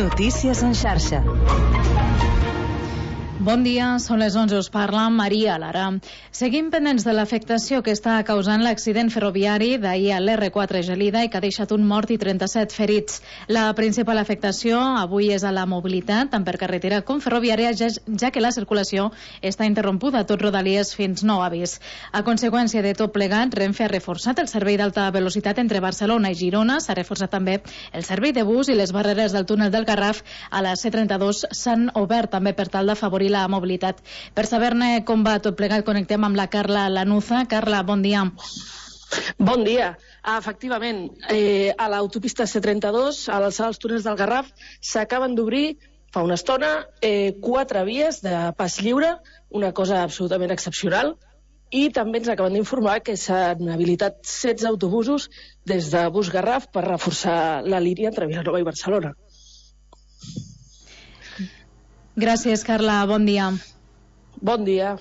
Notícies en xarxa. Bon dia, són les 11, us parla Maria Lara. Seguim pendents de l'afectació que està causant l'accident ferroviari d'ahir a l'R4 Gelida i que ha deixat un mort i 37 ferits. La principal afectació avui és a la mobilitat, tant per carretera com ferroviària, ja que la circulació està interrompuda a tot Rodalies fins nou avís. A conseqüència de tot plegat, Renfe ha reforçat el servei d'alta velocitat entre Barcelona i Girona, s'ha reforçat també el servei de bus i les barreres del túnel del Garraf a la C32 s'han obert també per tal d'afavorir la mobilitat. Per saber-ne com va tot plegat, connectem amb la Carla Lanuza. Carla, bon dia. Bon dia. Efectivament, a l'autopista C32, a l'alçada dels túnels del Garraf, s'acaben d'obrir fa una estona 4 vies de pas lliure, una cosa absolutament excepcional, i també ens acaben d'informar que s'han habilitat 16 autobusos des de Bus Garraf per reforçar la línia entre Vilanova i Barcelona. Gràcies, Carla. Bon dia. Bon dia.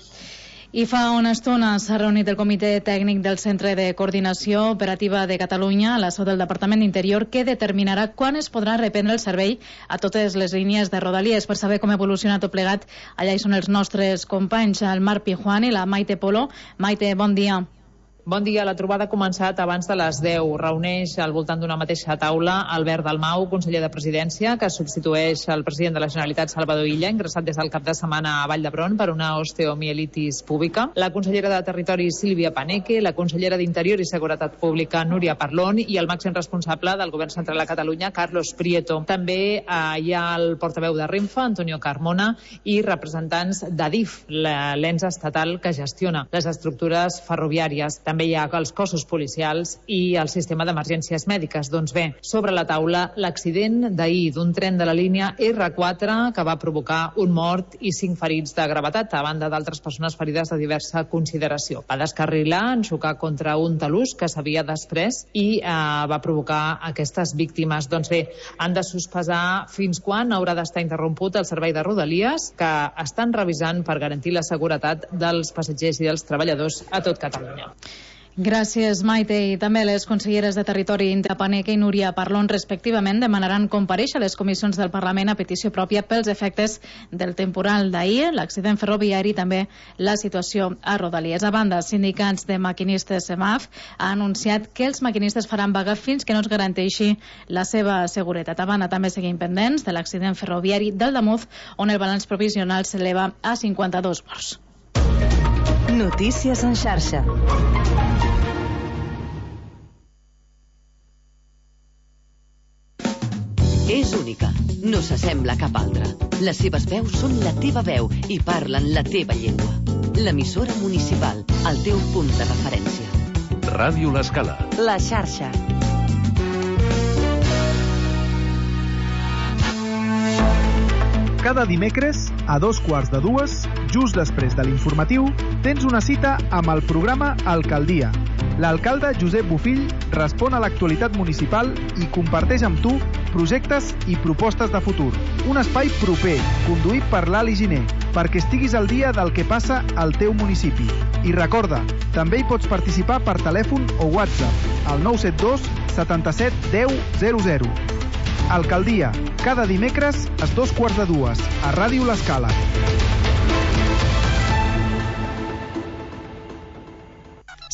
I fa una estona s'ha reunit el Comitè Tècnic del Centre de Coordinació Operativa de Catalunya a la seu del Departament d'Interior, que determinarà quan es podrà reprendre el servei a totes les línies de Rodalies. Per saber com evoluciona tot plegat, allà hi són els nostres companys, el Marc Pijuan i la Maite Polo. Maite, bon dia. Bon dia. La trobada ha començat abans de les 10. Reuneix al voltant d'una mateixa taula Albert Dalmau, conseller de Presidència, que substitueix el president de la Generalitat, Salvador Illa, ingressat des del cap de setmana a Vall d'Hebron per una osteomielitis púbica, la consellera de Territori, Sílvia Paneque, la consellera d'Interior i Seguretat Pública, Núria Parlon, i el màxim responsable del Govern Central a Catalunya, Carlos Prieto. També hi ha el portaveu de Renfe, Antonio Carmona, i representants d'Adif, l'ens estatal que gestiona les estructures ferroviàries. També hi ha els cossos policials i el sistema d'emergències mèdiques. Doncs bé, sobre la taula, l'accident d'ahir d'un tren de la línia R4 que va provocar un mort i 5 ferits de gravetat, a banda d'altres persones ferides de diversa consideració. Va descarrilar en xocar contra un talús que s'havia desprès i va provocar aquestes víctimes. Doncs bé, han de sospesar fins quan haurà d'estar interromput el servei de Rodalies, que estan revisant per garantir la seguretat dels passatgers i dels treballadors a tot Catalunya. Gràcies, Maite. I també les conselleres de Territori, Paneque i Núria Parlon, respectivament, demanaran comparèixer a les comissions del Parlament a petició pròpia pels efectes del temporal d'ahir, l'accident ferroviari i també la situació a Rodalies. A banda, sindicats de maquinistes SEMAF ha anunciat que els maquinistes faran vaga fins que no es garanteixi la seva seguretat. A banda, també seguim pendents de l'accident ferroviari del Damuz, on el balanç provisional s'eleva a 52 morts. Notícies en xarxa. És única, no s'assembla a cap altra. Les seves veus són la teva veu i parlen la teva llengua. L'emissora municipal, el teu punt de referència. Ràdio L'Escala. La xarxa. Cada dimecres, a 2:15, just després de l'informatiu, tens una cita amb el programa Alcaldia. L'alcalde Josep Bofill respon a l'actualitat municipal i comparteix amb tu projectes i propostes de futur. Un espai proper, conduït per l'Ali Giner, perquè estiguis al dia del que passa al teu municipi. I recorda, també hi pots participar per telèfon o WhatsApp al 972 77 10 00. Alcaldia, cada dimecres a 2:15 a Ràdio L'Escala.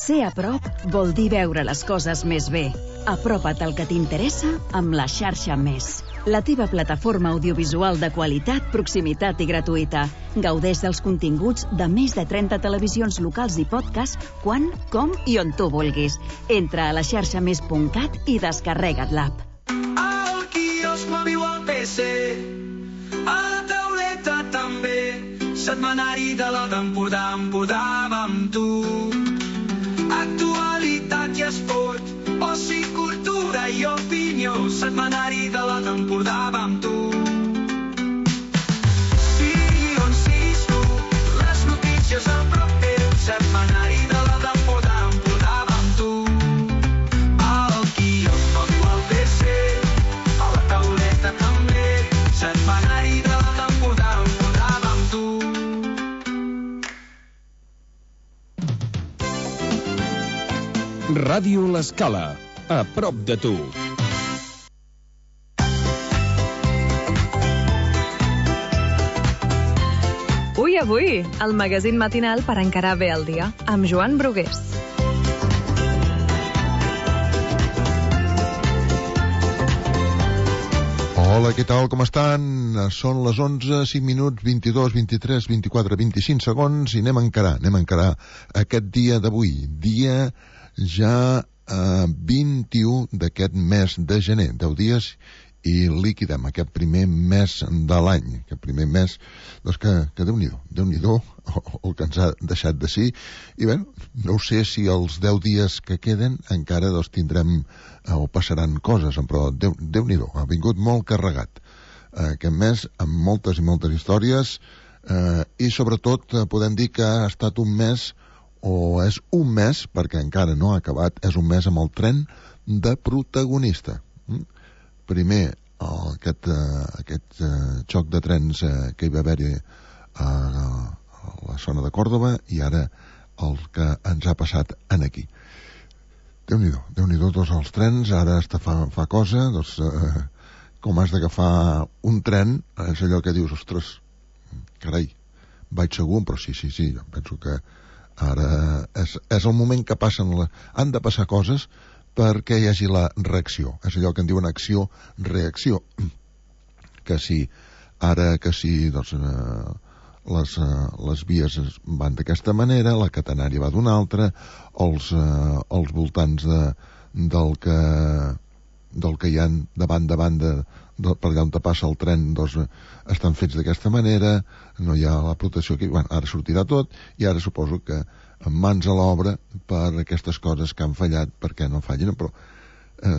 Ser a prop vol dir veure les coses més bé. Apropa't al que t'interessa amb la xarxa Més. La teva plataforma audiovisual de qualitat, proximitat i gratuïta. Gaudeix dels continguts de més de 30 televisions locals i podcast quan, com i on tu vulguis. Entra a laxarxamés.cat i descarrega't l'app. Al quiosc m'aviu al PC, a la tauleta també, setmanari de la d'Empordà, Empordà amb tu. Actualitat i esport, oci, cultura i opinió, setmanari de la d'Empordà amb tu. Sí, on siguis tu, les notícies a prop teu, setmanari de la d'Empordà amb tu. Al quiosc m'aviu al PC, a la tauleta també, setmanari de la d'Empordà amb tu. Ràdio L'Escala, a prop de tu. avui, el magazín matinal per encarar bé el dia, amb Joan Brugués. Hola, què tal, com estan? Són les 11, 5 minuts, 22, 23, 24, 25 segons i anem a encarar aquest dia d'avui, dia ja 21 d'aquest mes de gener, 10 dies i liquidem aquest primer mes de l'any, aquest primer mes doncs que Déu-n'hi-do el que ens ha deixat de ser, i bé, no sé si els 10 dies que queden encara doncs tindrem o passaran coses, però Déu-n'hi-do, ha vingut molt carregat aquest mes amb moltes i moltes històries, i sobretot podem dir que ha estat un mes, o és un mes, perquè encara no ha acabat, és un mes amb el tren de protagonista. Primer, aquest xoc de trens que hi va haver-hi a la zona de Còrdova i ara el que ens ha passat aquí. Déu-n'hi-do tots els trens, ara fa cosa, doncs, com has d'agafar un tren, és allò que dius, ostres, carai, vaig segur, però sí, jo penso que ara és el moment que han de passar coses perquè hi hagi la reacció. És allò que en diuen acció-reacció. Que si doncs, les vies van d'aquesta manera, la catenària va d'una altra, els voltants del que hi ha davant per allà on passa el tren, doncs estan fets d'aquesta manera, no hi ha la protecció aquí. Bueno, ara sortirà tot i ara suposo que amb mans a l'obra per aquestes coses que han fallat, perquè no fallin, però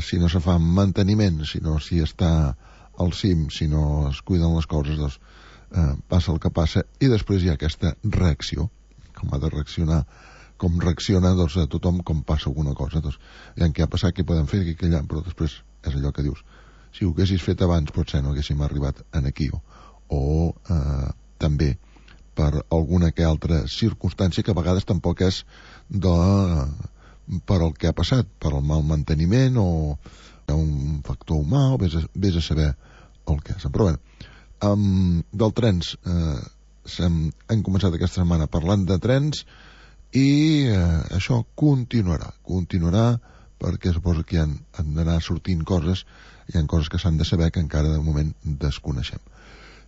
si no se fa manteniment, si està al cim, si no es cuiden les coses, doncs passa el que passa i després hi ha aquesta reacció, com ha de reaccionar, com reacciona doncs, a tothom com passa alguna cosa. Doncs, ja què ha passat, què podem fer, què allà, però després és allò que dius, si ho haguessis fet abans potser no haguéssim arribat aquí, o també per alguna que altra circumstància que a vegades tampoc és per el que ha passat, per el mal manteniment o un factor humà, o vés a saber el que és. Però bé, del trens hem començat aquesta setmana parlant de trens i això continuarà perquè suposo que han d'anar sortint coses, hi ha coses que s'han de saber que encara de moment desconeixem.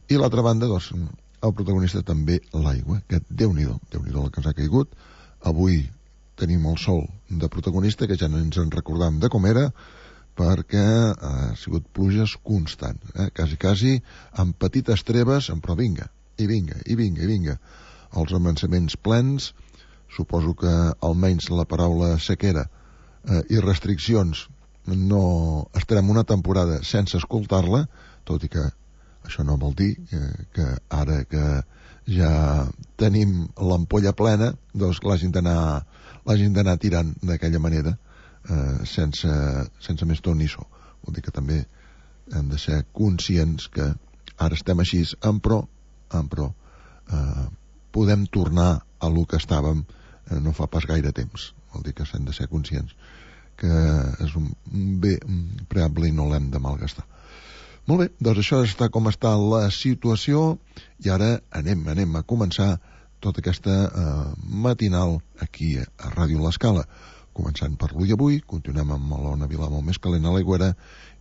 I l'altra banda, doncs, el protagonista també l'aigua, que Déu-n'hi-do el que ens ha caigut. Avui tenim el sol de protagonista, que ja no ens en recordam de com era, perquè ha sigut pluges constants, quasi amb petites treves, però vinga. Els avançaments plens, suposo que almenys la paraula sequera i restriccions no estarem una temporada sense escoltar-la, tot i que això no vol dir que ara que ja tenim l'ampolla plena, doncs l'hagin d'anar tirant d'aquella manera, sense més tot ni so. Vol dir que també hem de ser conscients que ara estem així, però podem tornar a lo que estàvem no fa pas gaire temps. Vol dir que hem de ser conscients que és un bé preable i no l'hem de malgastar. Molt bé, doncs això està com està la situació i ara anem a començar tota aquesta matinal aquí a Ràdio L'Escala. Començant per l'Ull Avui, continuem amb l'Ona Vilà molt més calent a l'Aigüera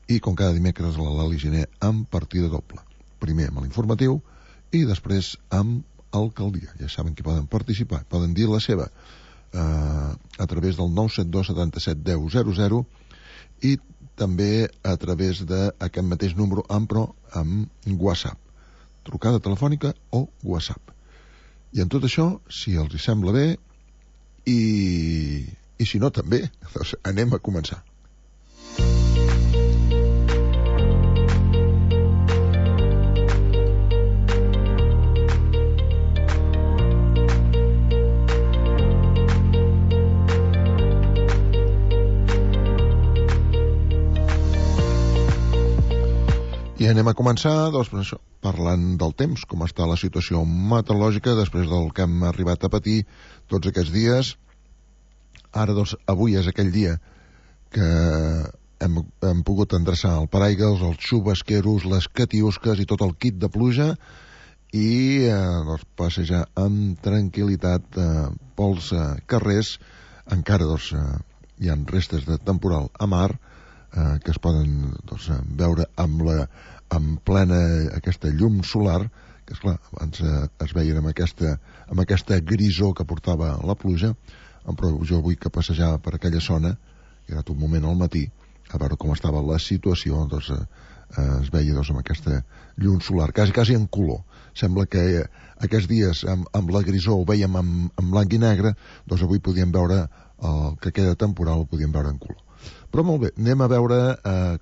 i com cada dimecres la Lali Giner amb partida doble. Primer amb l'informatiu i després amb Alcaldia. Ja saben que poden participar, poden dir la seva a través del 972 77 10 00 i també a través d'aquest mateix número, però amb WhatsApp. Trucada telefònica o WhatsApp. I en tot això, si els hi sembla bé, i si no també, doncs anem a començar. I anem a començar, doncs, això, parlant del temps, com està la situació meteorològica després del que hem arribat a patir tots aquests dies. Ara, doncs, avui és aquell dia que hem pogut endreçar el paraigües, els xubasqueros, les catiusques i tot el kit de pluja, i doncs, passejar amb tranquil·litat pels carrers. Encara doncs, hi ha restes de temporal a mar que es poden doncs, veure amb plena aquesta llum solar, que esclar, abans es veien amb aquesta grisor que portava la pluja, però jo avui que passejava per aquella zona, he anat un moment al matí a veure com estava la situació, doncs es veia doncs, amb aquesta llum solar, quasi en color. Sembla que aquests dies amb la grisor ho veiem en blanc i negre, doncs avui podíem veure el que queda temporal, ho podíem veure en color. Però molt bé, anem a veure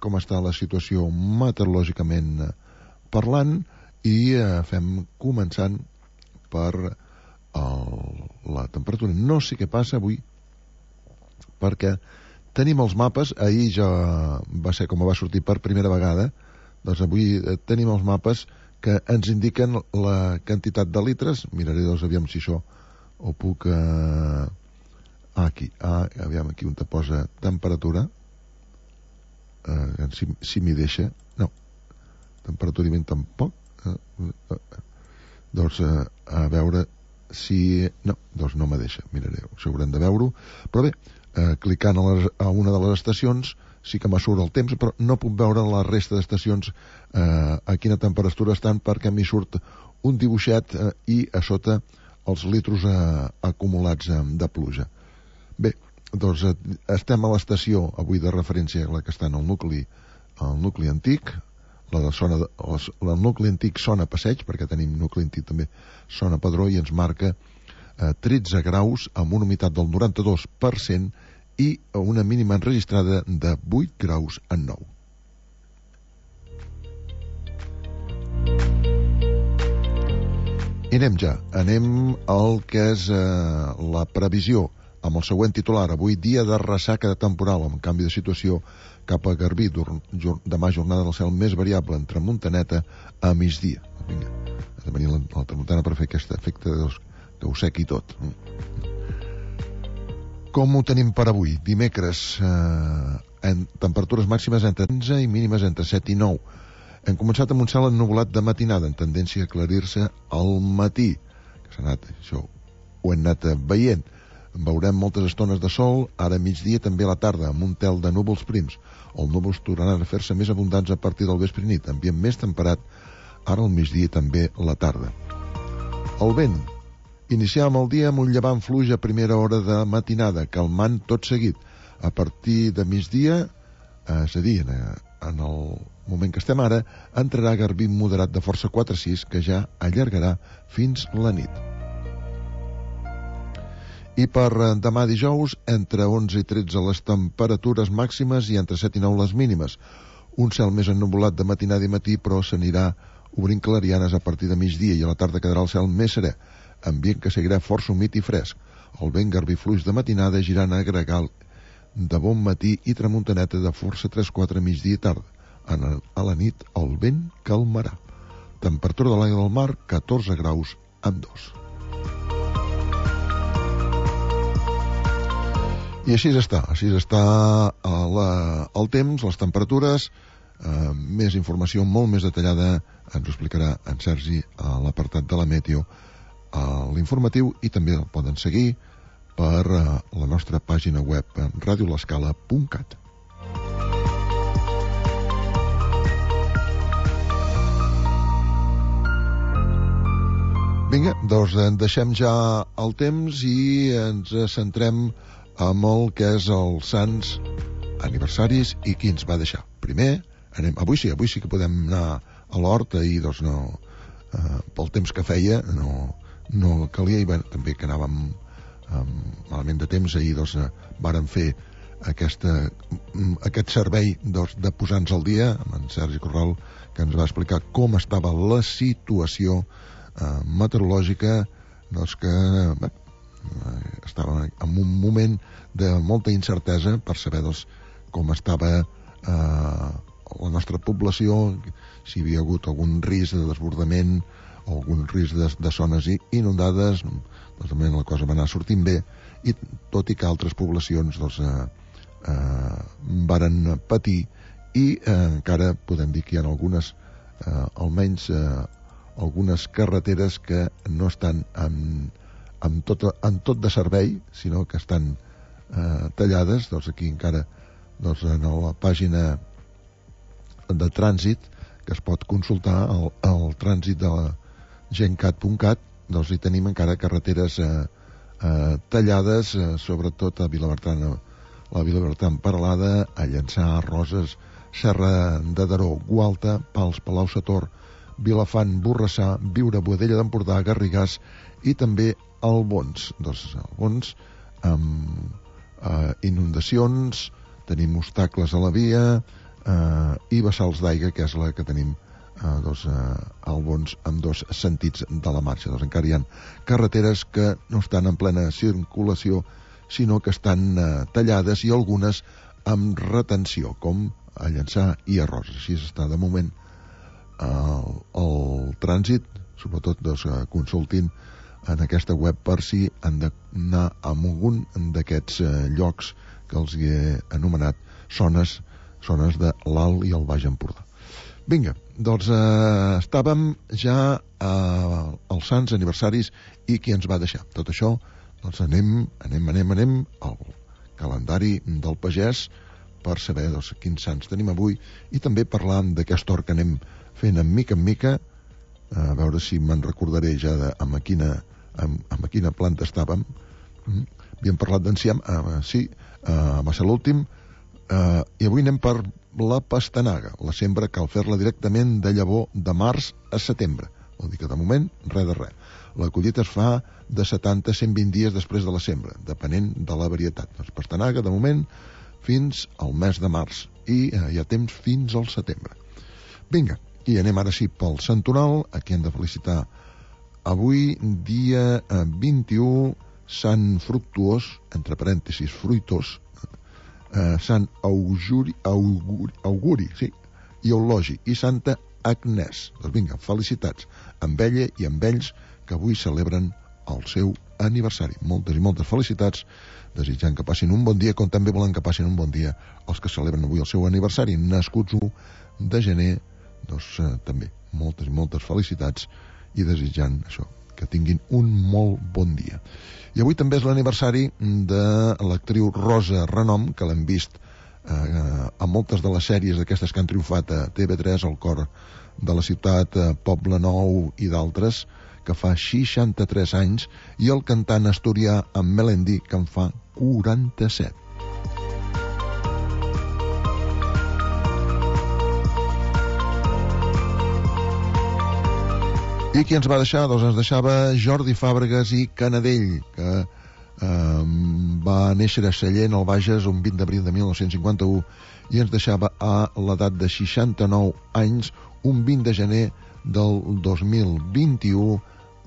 com està la situació meteorològicament parlant i fem començant per la temperatura. No sé què passa avui, perquè tenim els mapes, ahir ja va ser com va sortir per primera vegada, doncs avui tenim els mapes que ens indiquen la quantitat de litres. Miraré doncs aviam si això ho puc... aviam aquí on te posa temperatura, si m'hi deixa. No, temperatura i vent tampoc. Doncs a veure si... No, doncs no me deixa, miraré, això haurem de veure-ho. Però bé, clicant a una de les estacions sí que m'ha surt el temps, però no puc veure la resta d'estacions a quina temperatura estan, perquè m'hi surt un dibuixet i a sota els litros acumulats de pluja. Bé, doncs estem a l'estació avui de referència, la que està en el nucli antic, el nucli antic Sona Passeig, perquè tenim nucli antic també Sona Padró, i ens marca 13 graus amb una humitat del 92% i una mínima enregistrada de 8 graus en 9. I anem al que és la previsió amb el següent titular. Avui dia de ressaca de temporal amb canvi de situació cap a Garbí. Demà jornada del cel més variable entre Montaneta a migdia. Vinga, ha de venir la tramuntana per fer aquest efecte que ho sequi tot. Com ho tenim per avui? Dimecres, en temperatures màximes entre 15 i mínimes entre 7 i 9. Hem començat amb un cel ennuvolat de matinada, en tendència a aclarir-se al matí. Això ho hem anat veient. Veurem moltes estones de sol, ara a migdia, també a la tarda, amb un tel de núvols prims. Els núvols tornaran a fer-se més abundants a partir del vespre i nit, ambient més temperat, ara al migdia i també a la tarda. El vent. Iniciàvem el dia amb un llevant fluix a primera hora de matinada, calmant tot seguit. A partir de migdia, és a dir, en el moment que estem ara, entrarà Garbí moderat de força 4-6, que ja allargarà fins la nit. I per demà dijous, entre 11 i 13 les temperatures màximes i entre 7 i 9 les mínimes. Un cel més ennuvolat de matinada i matí, però s'anirà obrint clarianes a partir de migdia i a la tarda quedarà el cel més serè, ambient que seguirà força humit i fresc. El vent Garbí fluix de matinada girant a gregal de bon matí i tramuntaneta de força 3-4 migdia i tarda. A la nit el vent calmarà. Temperatura de l'aigua del mar 14 graus amb 2. I així està el temps, les temperatures. Més informació molt més detallada ens ho explicarà en Sergi a l'apartat de la Meteo, a l'informatiu, i també el poden seguir per la nostra pàgina web radiolescala.cat. Vinga, doncs deixem ja el temps i ens centrem amb el que és els sants aniversaris i qui ens va deixar. Primer, avui sí que podem anar a l'hort. Ahir, doncs, no, pel temps que feia, no calia, i bé, també que anàvem malament de temps. Ahir, doncs, vàrem fer aquest servei, doncs, de posar-nos al dia amb en Sergi Corral, que ens va explicar com estava la situació meteorològica, doncs, que estava en un moment de molta incertesa per saber, doncs, com estava la nostra població, si hi havia hagut algun risc de desbordament, algun risc de zones inundades. Doncs també la cosa va anar sortint bé, i tot i que altres poblacions, doncs, varen patir, i encara podem dir que hi ha algunes, almenys algunes carreteres que no estan en tot de servei, sinó que estan tallades. Doncs aquí encara en la pàgina de trànsit, que es pot consultar el trànsit de la gencat.cat, doncs hi tenim encara carreteres tallades, sobretot a Vilabertran, la Vilabertran Peralada, a Llançà, Roses, Serra de Daró, Gualta, Pals, Palau-sator, Vilafant, Borrassà, Biure, Boadella d'Empordà, Garrigàs i també Albons. Doncs Albons amb inundacions, tenim obstacles a la via i vessals d'aigua, que és la que tenim Albons amb dos sentits de la marxa. Doncs encara hi ha carreteres que no estan en plena circulació, sinó que estan tallades i algunes amb retenció, com a Llançà i a Roses. Així està de moment el trànsit. Sobretot consultin en aquesta web per si han d'anar a algun d'aquests llocs que els he anomenat zones de l'Alt i el Baix Empordà. Vinga, doncs estàvem ja als sants aniversaris i qui ens va deixar. Tot això, doncs anem al calendari del pagès per saber quins sants tenim avui i també parlar d'aquest hort que anem fent en mica, a veure si me'n recordaré ja amb quina planta estàvem. Havíem parlat d'enciam, sí, va ser l'últim, i avui anem per la pastanaga. La sembra cal fer-la directament de llavor de març a setembre, vol dir que de moment res de res. La collita es fa de 70 a 120 dies després de la sembra, depenent de la varietat. Doncs pastanaga, de moment, fins al mes de març, i hi ha temps fins al setembre. Vinga, i anem ara sí pel santoral. Aquí hem de felicitar avui, dia 21, Sant Fructuós, entre parèntesis, fruitós, Sant Auguri, sí, i Eulogi, i Santa Agnès. Doncs vinga, felicitats amb ella i amb ells que avui celebren el seu aniversari. Moltes i moltes felicitats, desitjant que passin un bon dia, com també volen que passin un bon dia els que celebren avui el seu aniversari, nascuts 1 de gener. Doncs també moltes i moltes felicitats i desitjant això, que tinguin un molt bon dia. I avui també és l'aniversari de l'actriu Rosa Renom, que l'hem vist a moltes de les sèries d'aquestes que han triomfat a TV3, El cor de la ciutat, Poble Nou i d'altres, que fa 63 anys, i el cantant asturià en Melendi, que en fa 47. I qui ens va deixar? Doncs ens deixava Jordi Fàbregas i Canadell, que va néixer a Sallent, al Bages, un 20 d'abril de 1951, i ens deixava a l'edat de 69 anys, un 20 de gener del 2021,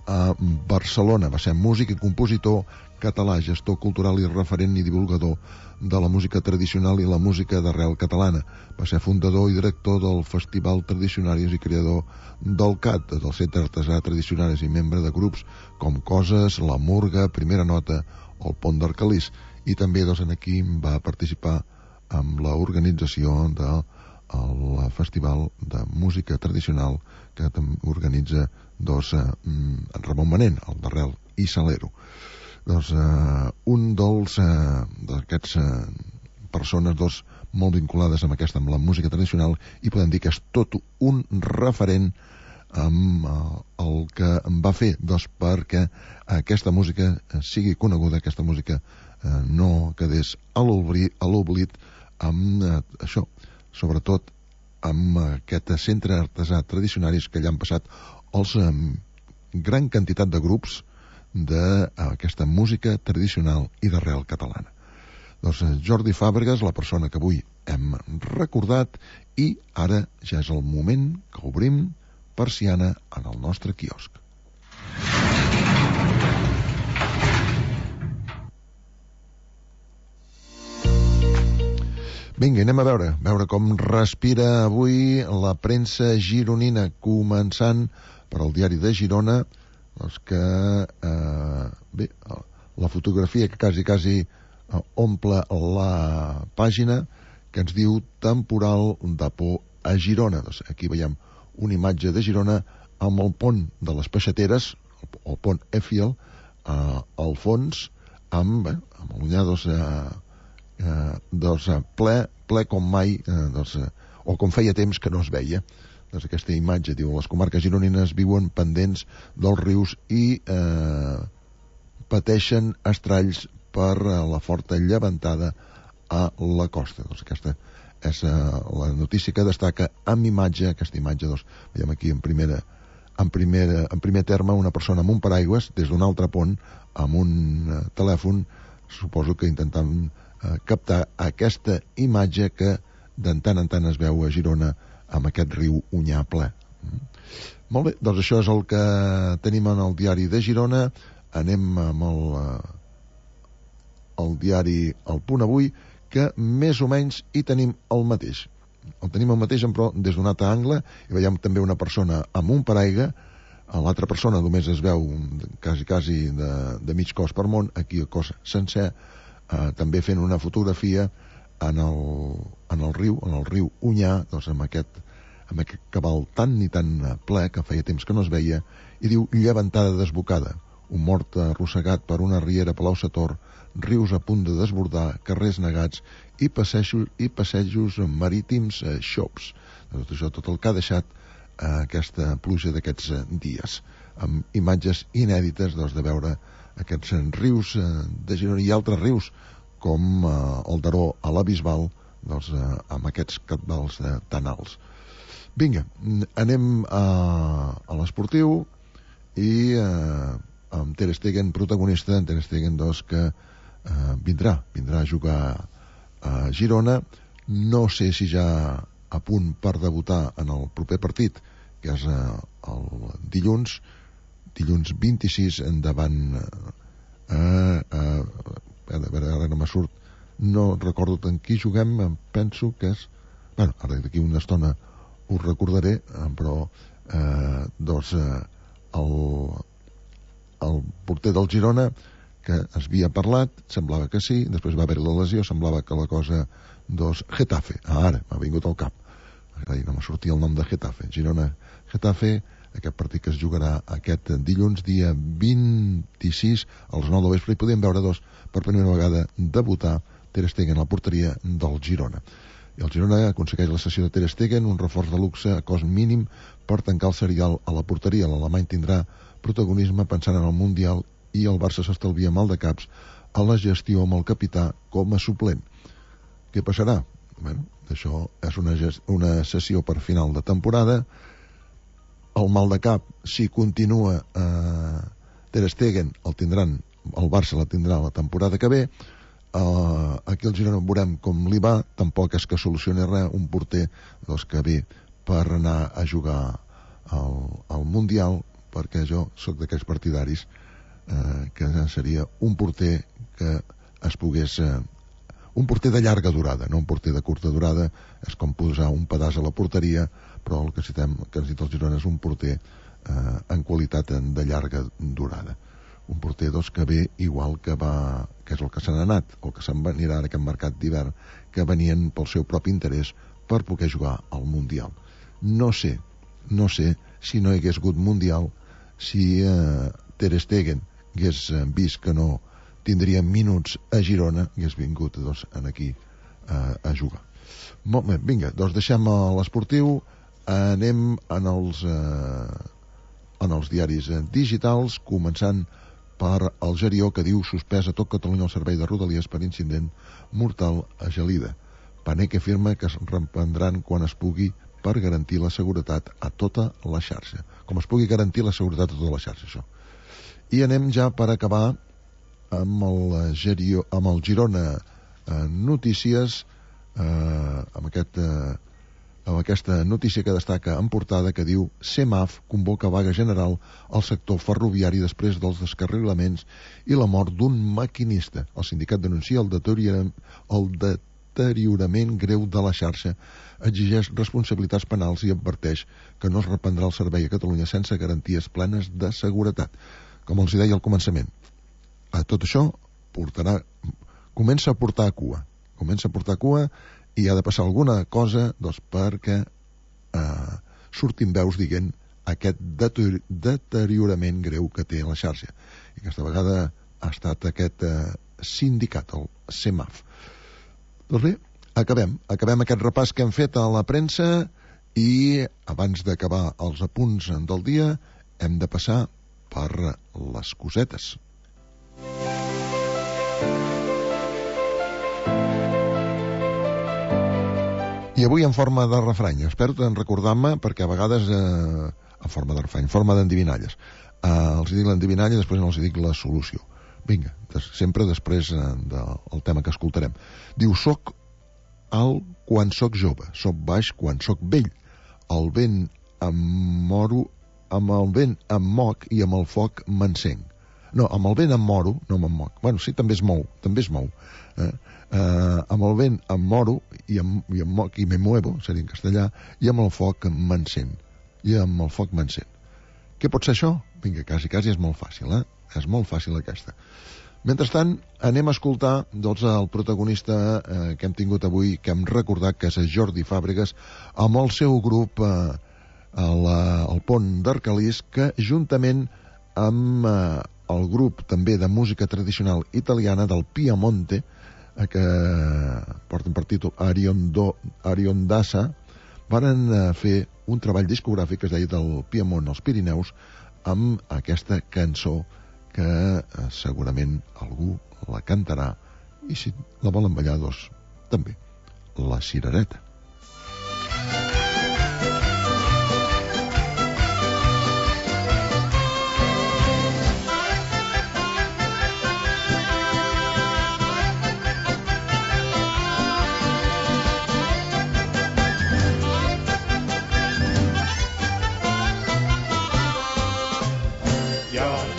a Barcelona. Va ser músic i compositor català, gestor cultural i referent i divulgador de la música tradicional i la música d'arrel catalana. Va ser fundador i director del Festival Tradicionaris i creador del CAT, del Centre Artesà Tradicionaris, i membre de grups com Coses, La Murga, Primera Nota o el Pont d'Arcalís. I també aquí va participar amb l'organització del Festival de Música Tradicional que organitza Ramon Manent, el d'Arrel i Salero. Doncs un d'aquests persones molt vinculades amb la música tradicional, i podem dir que és tot un referent amb el que va fer perquè aquesta música sigui coneguda, aquesta música no quedés a l'oblit, amb això, sobretot amb aquest centre artesà tradicionaris que allà han passat els gran quantitat de grups d'aquesta música tradicional i d'arrel catalana. Doncs Jordi Fàbregas, la persona que avui hem recordat, i ara ja és el moment que obrim persiana en el nostre quiosc. Vinga, anem a veure com respira avui la premsa gironina, començant per al diari de Girona, doncs que la fotografia que quasi omple la pàgina, que ens diu temporal de por a Girona. Doncs aquí veiem una imatge de Girona amb el pont de les Peixateres, el pont Effiel, al fons, amb l'Onyar ple com mai, o com feia temps que no es veia. Doncs aquesta imatge, diu, les comarques gironines viuen pendents dels rius i pateixen estralls per la forta llevantada a la costa. Doncs aquesta és la notícia que destaca amb imatge, aquesta imatge, doncs, veiem aquí en primer terme una persona amb un paraigües des d'un altre pont amb un telèfon, suposo que intentant captar aquesta imatge que de tant en tant es veu a Girona amb aquest riu Onyar ple. Molt bé, doncs això és el que tenim en el diari de Girona. Anem amb el diari El Punt Avui, que més o menys hi tenim el mateix. El tenim el mateix, però des d'un altre angle, i veiem també una persona amb un paraigua, l'altra persona només es veu quasi de mig cos per món, aquí el cos sencer, també fent una fotografia en el riu Onyar, doncs amb aquest cabal tan i tan ple que feia temps que no es veia, i diu llevantada desbocada, un mort arrossegat per una riera Palau-sator, rius a punt de desbordar, carrers negats i passejos marítims xops. Doncs això tot el que ha deixat aquesta pluja d'aquests dies, amb imatges inèdites de veure aquests rius de Girona i altres rius com el Daró a la Bisbal, amb aquests cabals tan alts. Vinga, anem a l'esportiu i amb Ter Stegen protagonista, Ter Stegen que vindrà a jugar a Girona. No sé si ja a punt per debutar en el proper partit, que és el dilluns 26 endavant ara no me surt, no recordo tant qui juguem, penso que és ara d'aquí una estona us recordaré, però el porter del Girona, que es havia parlat, semblava que sí, després va haver la lesió, semblava que la cosa Getafe, ara m'ha vingut al cap, no me sortia el nom de Getafe, Girona-Getafe, aquest partit que es jugarà aquest dilluns, dia 26 als 9 del vespre, i podem veure per primera vegada debutar Ter Stegen a la porteria del Girona. I el Girona aconsegueix la cessió de Ter Stegen, un reforç de luxe a cost mínim per tancar el serial a la porteria. L'alemany tindrà protagonisme pensant en el Mundial i el Barça s'estalvia mal de caps a la gestió amb el capità com a suplent. Què passarà? Això és una sessió per final de temporada. El mal de cap, si continua Ter Stegen, el Barça la tindrà la temporada que ve. Aquí el Girona veurem com li va, tampoc és que solucioni res, un porter que ve per anar a jugar al Mundial, perquè jo sóc d'aquells partidaris que seria un porter que es pogués un porter de llarga durada, no un porter de curta durada. És com posar un pedaç a la porteria, però el que necessita el Girona és un porter en qualitat de llarga durada, un porter que ve igual que és el que se n'ha anat, o que se'n anirà en aquest mercat d'hivern, que venien pel seu propi interès per poder jugar al Mundial. No sé si no hi hagués hagut Mundial, si Ter Stegen hagués vist que no tindria minuts a Girona, hagués vingut aquí a jugar. Molt bé, vinga, deixem l'esportiu, anem en els diaris digitals, començant per el Gerió, que diu suspès a tot Catalunya el servei de Rodalies per incident mortal a Gelida. Paneque afirma que es reprendran quan es pugui per garantir la seguretat a tota la xarxa. Com es pugui garantir la seguretat a tota la xarxa, això. I anem ja per acabar amb el Girona Notícies, amb aquesta notícia que destaca en portada, que diu CEMAF convoca vaga general al sector ferroviari després dels descarrilaments i la mort d'un maquinista. El sindicat denuncia el deteriorament greu de la xarxa, exigeix responsabilitats penals i adverteix que no es reprendrà el servei a Catalunya sense garanties plenes de seguretat. Com els deia al començament, tot això comença a portar cua i ha de passar alguna cosa perquè surtin veus dient aquest deteriorament greu que té la xarxa. I aquesta vegada ha estat aquest sindicat, el CEMAF. Doncs bé, acabem aquest repàs que hem fet a la premsa i abans d'acabar els apunts del dia hem de passar per les cosetes. I avui en forma de refrany, espero recordar-me perquè a vegades en forma de refrany, en forma d'endivinalles. Els dic l'endivinalla i després no els dic la solució. Vinga, sempre després del tema que escoltarem. Diu, soc alt quan soc jove, soc baix quan soc vell. El vent em moro, amb el vent em moc i amb el foc m'encenc. No, amb el vent em moro, no me'n moc. Bueno, sí, també es mou. Amb el vent em moro i em moc i me muevo, seria en castellà, i amb el foc m'encén. Què pot ser això? Vinga, quasi és molt fàcil, És molt fàcil aquesta. Mentrestant, anem a escoltar el protagonista que hem tingut avui, que hem recordat que és Jordi Fàbregas, amb el seu grup al Pont d'Arcalís, que juntament amb el grup també de música tradicional italiana del Piemonte, que porten per títol Ariondassa, van fer un treball discogràfic que es deia del Piemont als Pirineus, amb aquesta cançó que segurament algú la cantarà, i si la volen ballar, doncs també, La Cirereta.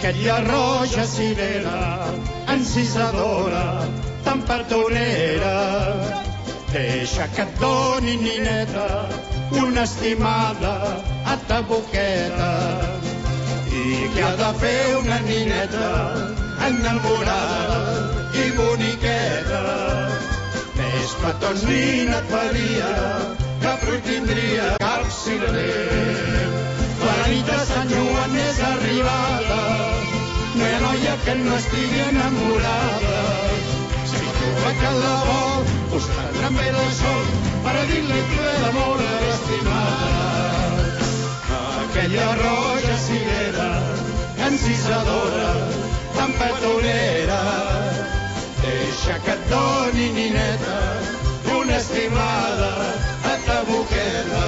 Aquella roja cirera, encisadora, tan petonera, deixa que et doni, nineta, una estimada a ta boqueta. I què ha de fer una nineta enamorada i boniqueta? Més petons ni et faria, que fruit tindria cap cirerer. La nit de Sant Joan és arribada, no hi ha noia que no estigui enamorada. Si troba que la vol, us prendrà bé el sol per a dir-li que d'amor estimada. Aquella roja cirera, encisadora, tan petonera, deixa que et doni, nineta, una estimada a ta boqueta.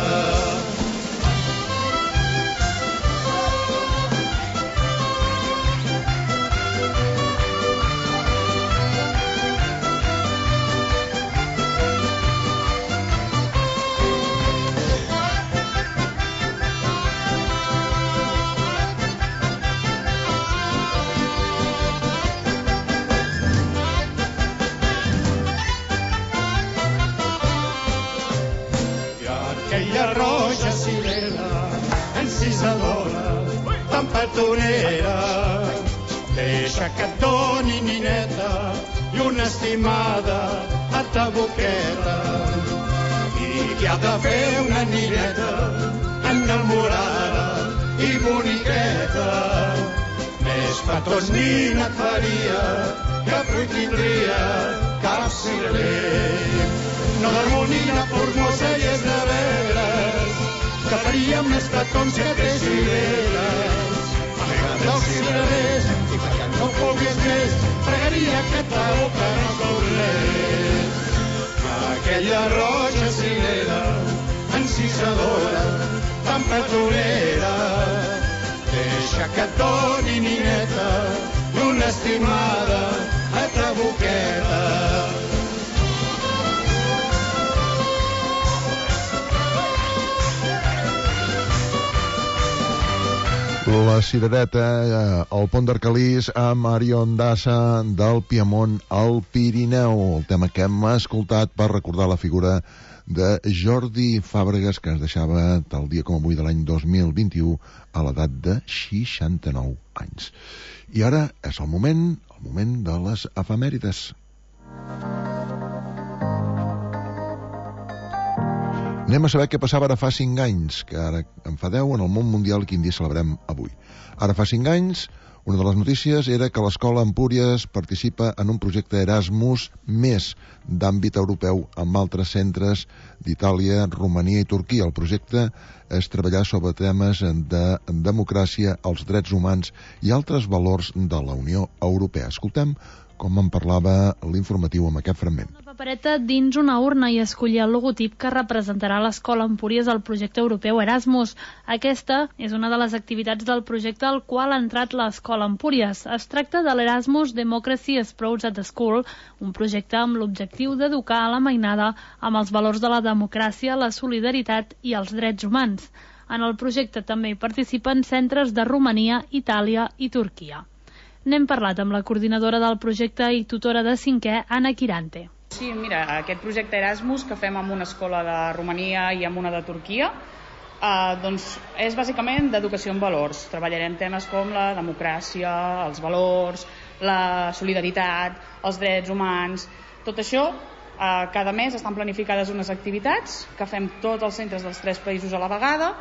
Roja cirera, encisadora, tan petonera, deixa que et doni, nineta, i una estimada a ta boqueta. I què ha de fer una nineta enamorada i boniqueta? Més petons ni et faria, que fruit tindria cap cirerer. No dormo ni la formosa i és de veres, que faria més petons que té cireres. Amaga't dels cirerers, i perquè no puguis més, pregaria que ta boca no tornés. Aquella roja cirera, encisadora, tan petonera, deixa que et doni, nineta, i una estimada a ta boqueta. La Cirereta, al Pont d'Arcalís, amb Ariondassa del Piemont al Pirineu. El tema que hem escoltat per recordar la figura de Jordi Fàbregas, que ens deixava tal dia com avui de l'any 2021 a l'edat de 69 anys. I ara és el moment de les efemèrides. Anem a saber què passava ara fa 5 anys, que ara en fa 10 en el món mundial i quin dia celebrem avui. Ara fa 5 anys, una de les notícies era que l'escola Empúries participa en un projecte Erasmus més d'àmbit europeu amb altres centres d'Itàlia, Romania i Turquia. El projecte és treballar sobre temes de democràcia, els drets humans i altres valors de la Unió Europea. Escoltem com en parlava l'informatiu amb aquest fragment. Una papereta dins una urna i escollir el logotip que representarà l'escola Empúries al projecte europeu Erasmus. Aquesta és una de les activitats del projecte al qual ha entrat l'escola Empúries. Es tracta de l'Erasmus Democracy Sprouts at the School, un projecte amb l'objectiu d'educar a la mainada amb els valors de la democràcia, la solidaritat i els drets humans. En el projecte també hi participen centres de Romania, Itàlia i Turquia. N'hem parlat amb la coordinadora del projecte i tutora de 5è, Anna Quirante. Sí, mira, aquest projecte Erasmus que fem amb una escola de Romania i amb una de Turquia doncs és bàsicament d'educació en valors. Treballarem temes com la democràcia, els valors, la solidaritat, els drets humans. Tot això, cada mes estan planificades unes activitats que fem tots els centres dels 3 països a la vegada.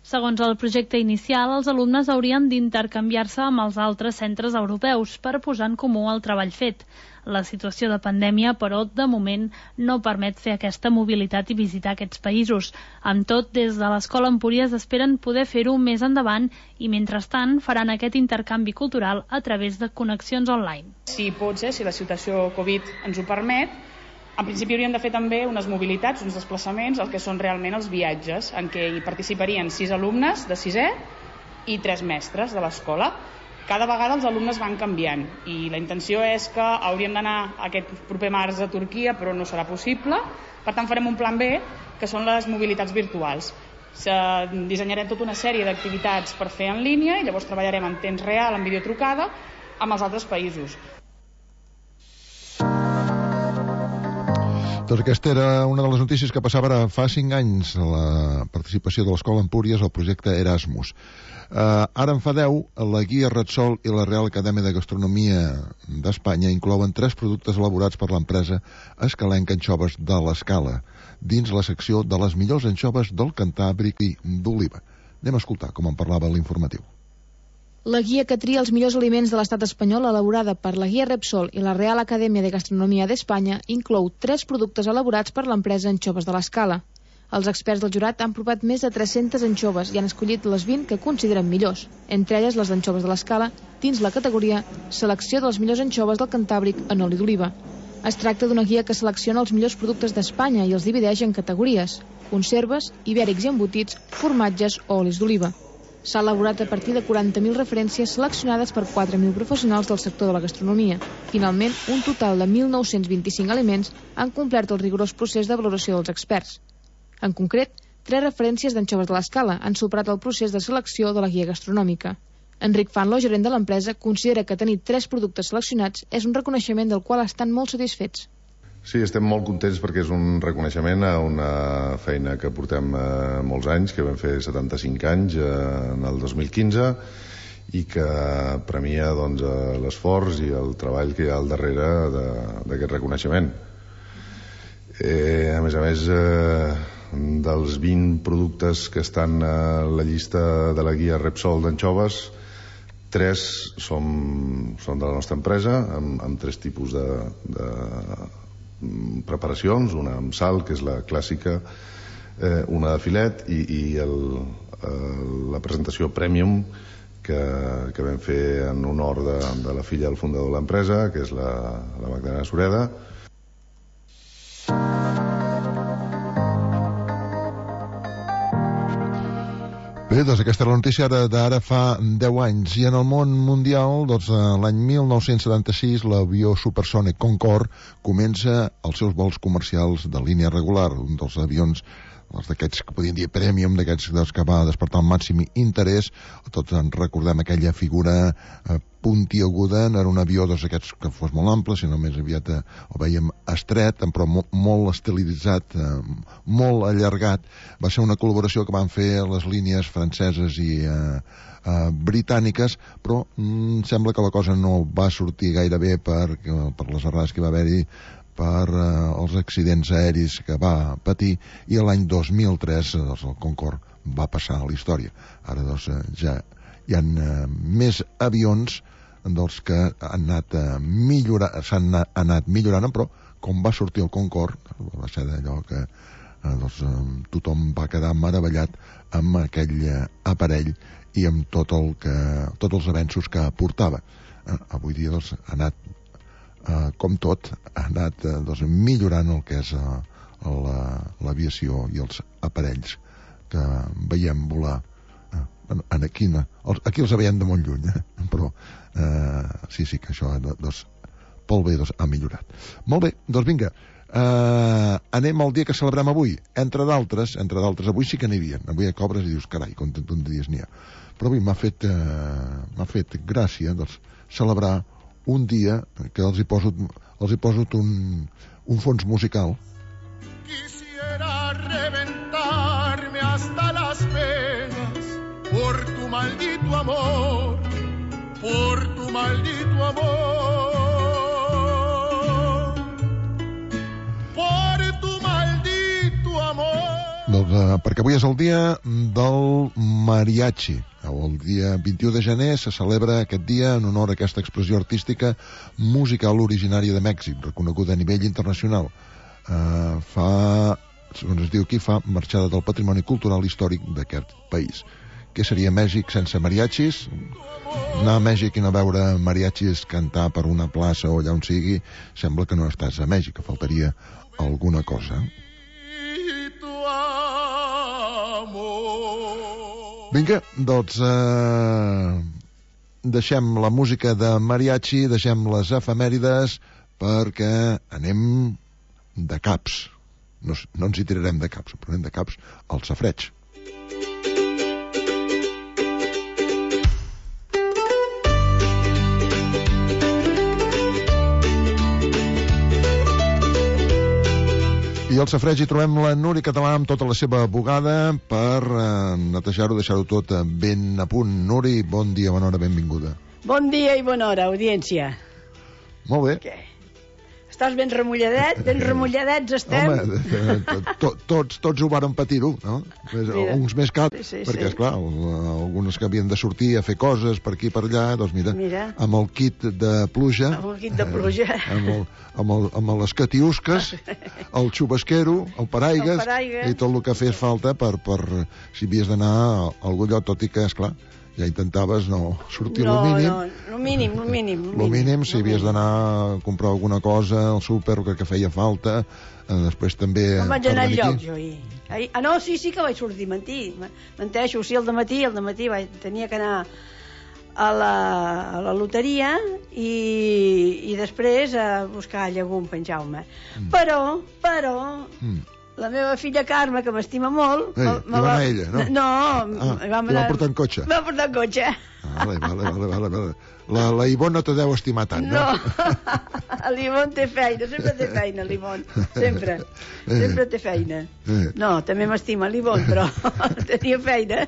Segons el projecte inicial, els alumnes haurien d'intercanviar-se amb els altres centres europeus per posar en comú el treball fet. La situació de pandèmia, però, de moment, no permet fer aquesta mobilitat i visitar aquests països. Amb tot, des de l'Escola Empúries esperen poder fer-ho més endavant i, mentrestant, faran aquest intercanvi cultural a través de connexions online. Si pot ser, si la situació Covid ens ho permet, en principi hauríem de fer també unes mobilitats, uns desplaçaments, el que són realment els viatges, en què hi participarien 6 alumnes de 6è i 3 mestres de l'escola. Cada vegada els alumnes van canviant i la intenció és que hauríem d'anar aquest proper març a Turquia, però no serà possible. Per tant, farem un plan B, que són les mobilitats virtuals. Dissenyarem tota una sèrie d'activitats per fer en línia i llavors treballarem en temps real, en videotrucada, amb els altres països. Doncs aquesta era una de les notícies que passava ara fa 5 anys, la participació de l'Escola Empúries al projecte Erasmus. Ara en fa 10, la Guia Repsol i la Real Acadèmia de Gastronomia d'Espanya inclouen 3 productes elaborats per l'empresa escalenca Anxoves de l'Escala, dins la secció de les millors anxoves del Cantàbric i d'Oliva. Anem a escoltar com en parlava l'informatiu. La guia que tria els millors aliments de l'estat espanyol, elaborada per la Guia Repsol i la Real Acadèmia de Gastronomia d'Espanya, inclou 3 productes elaborats per l'empresa Anxoves de l'Escala. Els experts del jurat han provat més de 300 anxoves i han escollit les 20 que consideren millors, entre elles les d'Anxoves de l'Escala, dins la categoria Selecció de les millors anxoves del Cantàbric en oli d'oliva. Es tracta d'una guia que selecciona els millors productes d'Espanya i els divideix en categories: conserves, ibèrics i embotits, formatges o olis d'oliva. S'ha elaborat a partir de 40.000 referències seleccionades per 4.000 professionals del sector de la gastronomia. Finalment, un total de 1.925 aliments han complert el rigorós procés de valoració dels experts. En concret, 3 referències d'Anxoves de l'Escala han superat el procés de selecció de la guia gastronòmica. Enric Fanlo, gerent de l'empresa, considera que tenir 3 productes seleccionats és un reconeixement del qual estan molt satisfets. Sí, estem molt contents perquè és un reconeixement a una feina que portem molts anys, que vam fer 75 anys en el 2015 i que premia l'esforç i el treball que hi ha al darrere d'aquest reconeixement. A més, dels 20 productes que estan a la llista de la guia Repsol d'anxoves, 3 són de la nostra empresa, amb 3 tipus de preparacions, una amb sal, que és la clàssica, una de filet i la presentació Premium que vam fer en honor de la filla del fundador de l'empresa, que és la Magdalena Sureda. Bé, doncs aquesta és la notícia d'ara fa 10 anys. I en el món mundial, doncs, l'any 1976, l'avió supersònic Concorde comença els seus vols comercials de línia regular, un dels avions d'aquests que podríem dir premium, d'aquests que va despertar el màxim interès. Tots en recordem aquella figura puntiaguda, no era un avió d'aquests que fos molt ample, sinó més aviat ho veiem estret, però molt estilitzat, molt allargat. Va ser una col·laboració que van fer les línies franceses i britàniques, però sembla que la cosa no va sortir gaire bé per les errades que va haver-hi per els accidents aeris que va patir, i l'any 2003 el Concorde va passar a la història. Ara ja hi ha més avions dels que han anat s'han anat millorant, però com va sortir el Concorde va ser d'allò que tothom va quedar meravellat amb aquell aparell i amb tots els avenços que portava. Avui dia ha anat, com tot, ha anat millorant el que és l'aviació i els aparells que veiem volar. Aquí els veiem de molt lluny, però sí que això pel bé ha millorat. Molt bé, doncs vinga, anem al dia que celebrem avui. Entre d'altres, avui sí que n'hi havia. Avui cobres i dius, carai, com dies n'hi ha. Però avui m'ha fet gràcia celebrar un dia que els hi poso un fons musical. Quisiera reventarme hasta las venas por tu maldito amor, por tu maldito amor, por tu maldito amor. Doncs perquè avui és el dia del mariachi. El dia 21 de gener se celebra aquest dia en honor a aquesta expressió artística musical originària de Mèxic, reconeguda a nivell internacional. Segons es diu aquí, fa marxada del patrimoni cultural històric d'aquest país. Què seria Mèxic sense mariachis? Anar a Mèxic i no veure mariachis cantar per una plaça o allà on sigui, sembla que no estàs a Mèxic, que faltaria alguna cosa. Vinga, doncs deixem la música de mariachi, deixem les efemèrides perquè anem de caps. No ens hi tirarem de caps, però anem de caps al safareig. I al safareig hi trobem la Núria Català amb tota la seva bugada per netejar-ho, deixar-ho tot ben a punt. Núria, bon dia, bona hora, benvinguda. Bon dia i bona hora, audiència. Molt bé. Què? Estàs ben remulladets estem? Home, tots ho varen patir-ho, no? Uns més que altres, perquè, esclar, algunes que havien de sortir a fer coses per aquí i per allà, doncs mira, amb el kit de pluja, amb les catiusques, el xubasquero, el paraigues, i tot el que fes falta per si havies d'anar a algun lloc, tot i que, esclar, ja intentaves no sortir lo mínim. Lo mínim, si havies d'anar a comprar alguna cosa al súper, que feia falta, després també... No vaig anar al lloc, jo ahir. No, sí que vaig sortir, menteixo, sí, al dematí tenia que anar a la loteria i després a buscar llegum per en Jaume. Però... La meva filla Carme, que m'estima molt... Hi va anar ella, no? No, va portar en cotxe. Va portar en cotxe. Vale. La Ivonne no te deu estimar tant, no? No, l'Ivonne té feina, sempre té feina, l'Ivonne. Sempre té feina. No, també m'estima l'Ivonne, però tenia feina.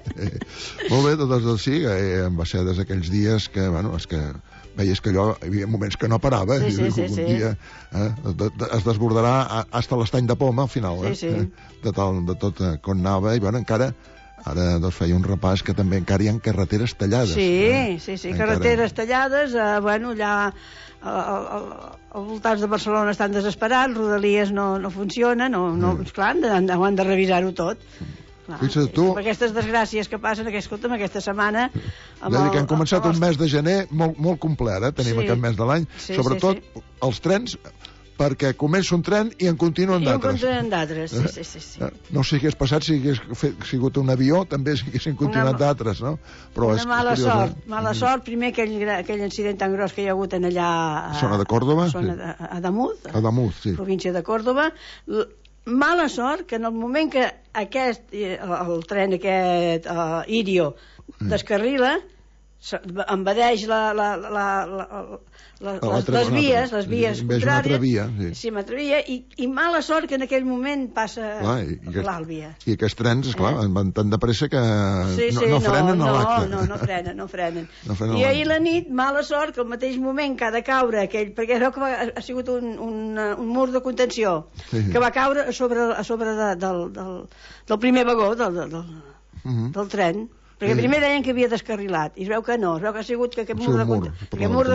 Molt bé, doncs sí, va ser des d'aquells dies que, bueno, és que... veies que allò, hi havia moments que no parava, sí. Un dia es desbordarà hasta l'estany de poma al final, de tot com anava, i bueno, encara ara feia un repàs que també encara hi ha carreteres tallades. Sí, carreteres tallades, bueno, allà als voltants de Barcelona estan desesperats, Rodalies no funciona, esclar, han de revisar-ho tot. Fixa't tu... Aquestes desgràcies que passen, aquesta setmana... Que han començat un mes de gener molt complet, tenim aquest mes de l'any, sobretot els trens, perquè comença un tren i en continuen d'altres. Sí. No sé què hagués passat si hagués sigut un avió, també haguessin continuat d'altres, no? Una mala sort, primer aquell incident tan gros que hi ha hagut en allà... Zona de Còrdova? A Adamuz, sí. Província de Còrdova. Mala sort que en el moment que el tren aquest Irio descarrila, envadeix les vies contràries. Sí, una altra via, i mala sort que en aquell moment passa l'Àlvia. I aquests trens, esclar, van tan de pressa que no frenen a l'acte. No frenen. I ahir la nit, mala sort que al mateix moment que ha de caure aquell, perquè creu que ha sigut un mur de contenció, que va caure a sobre del primer vagó del tren. Perquè primer deien que havia descarrilat, i es veu que no, es veu que ha sigut que aquest mur de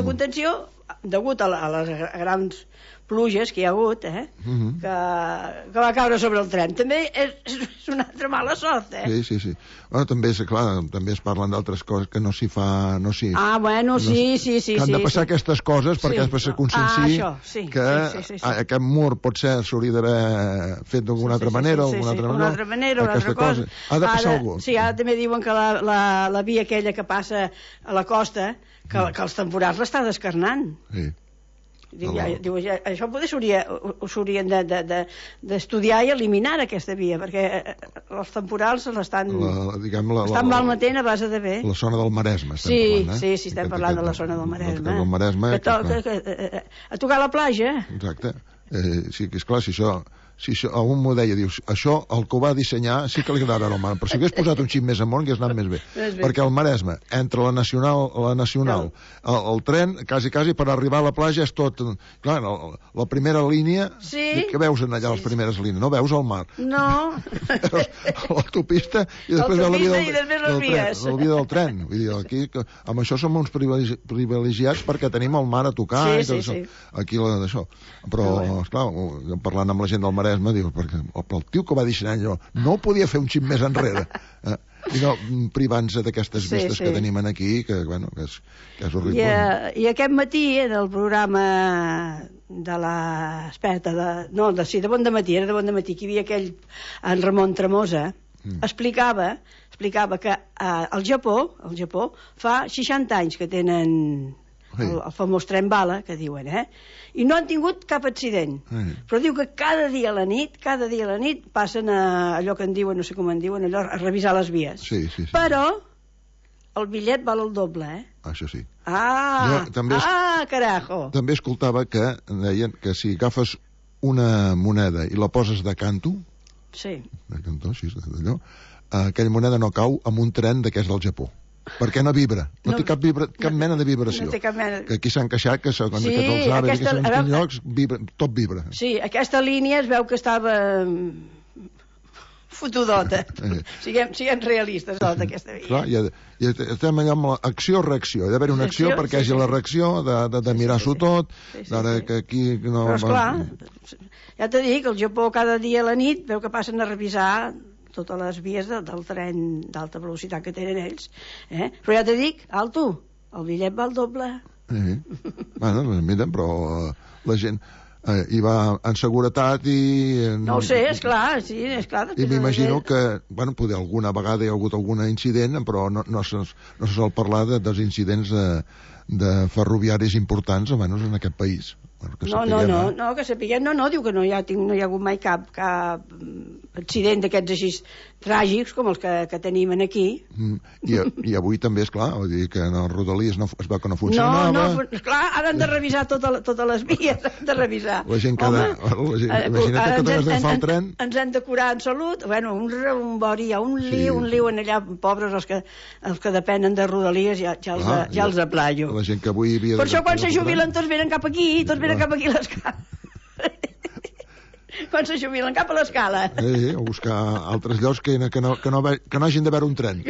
contenció, degut a les grans pluges que hi ha hagut, que va caure sobre el tren. També és una altra mala sort, Sí. Bueno, també es parlen d'altres coses que no s'hi fa... sí. Que han de passar aquestes coses perquè després se conscienciï que aquest mur potser s'hauria d'haver fet d'alguna altra manera, una altra cosa. Ha de passar algú. Sí, ara també diuen que la via aquella que passa a la costa, que els temporals l'està descarnant. Sí. Diu, això potser s'haurien d'estudiar i eliminar aquesta via, perquè els temporals l'estan malmetent a base de bé. La zona del Maresme estem parlant, Sí, estem parlant de la zona del Maresme. A tocar la platja. Exacte. Sí, que esclar, si algú m'ho deia, dius, això el que ho va dissenyar sí que li agradarà al mar, però si hagués posat un xip més amunt hagués anat més bé, perquè el Maresme entre la Nacional el tren, quasi per arribar a la platja és tot, clar, la primera línia, que veus allà les primeres línies, no veus el mar, l'autopista i després la via del tren. Vull dir, aquí amb això som uns privilegiats perquè tenim el mar a tocar i tot això, aquí d'això, però esclar, parlant amb la gent del Maresme diu, perquè el tio que va dissenyar allò no podia fer un xip més enrere i no privant-se d'aquestes vistes que tenim aquí, que és horrible. I aquest matí en el programa de l'experta de Bon Dematí, era de Bon Dematí, que hi havia aquell en Ramon Tremosa, explicava que al Japó fa 60 anys que tenen el famós tren bala, que diuen, i no han tingut cap accident. Però diu que cada dia a la nit passen a allò que en diuen, no sé com en diuen, allò, a revisar les vies. Però el bitllet val el doble, Això sí. Carajo! També escoltava que deien que si agafes una moneda i la poses de canto, aquella moneda no cau amb un tren d'aquests del Japó. Perquè no vibra, no té cap mena de vibració. Que aquí s'han queixat que segons aquests aves, que en llocs tot vibra. Sí, aquesta línia es veu que estava fotudota. Siguem realistes, d'aquesta via. Clar, i estem allà amb l'acció-reacció. Hi ha d'haver una acció perquè hi hagi la reacció, de mirar-s'ho tot, d'ara que aquí no... Però esclar, ja t'he dit que el Japó cada dia a la nit veu que passen a revisar totes les vies del tren d'alta velocitat que tenen ells. Però ja t'he dit, alto, el bitllet va al doble. Bueno, mira, però la gent hi va en seguretat i... No ho sé, esclar, sí, esclar. I m'imagino que, bueno, poder alguna vegada hi ha hagut algun incident, però no se sol parlar dels incidents de ferroviaris importants, almenys en aquest país. No, que sapiguem, diu que no hi ha hagut mai cap accident d'aquests així tràgics com els que tenim aquí. I avui també, esclar, vull dir que en els Rodalies es veu que no funcionava. No, esclar, ara han de revisar totes les vies, han de revisar. La gent que imagina't que t'has d'agafar el tren. Ens han de curar en salut, bueno, un rebombori, un liu en allà, pobres els que depenen de Rodalies, ja els aplaio. La gent que avui havia... Per això quan se jubilen tots venen cap aquí, cap aquí a l'escala. Quan se jubilen cap a l'escala. O buscar altres llocs que no hagin de veure un tren. I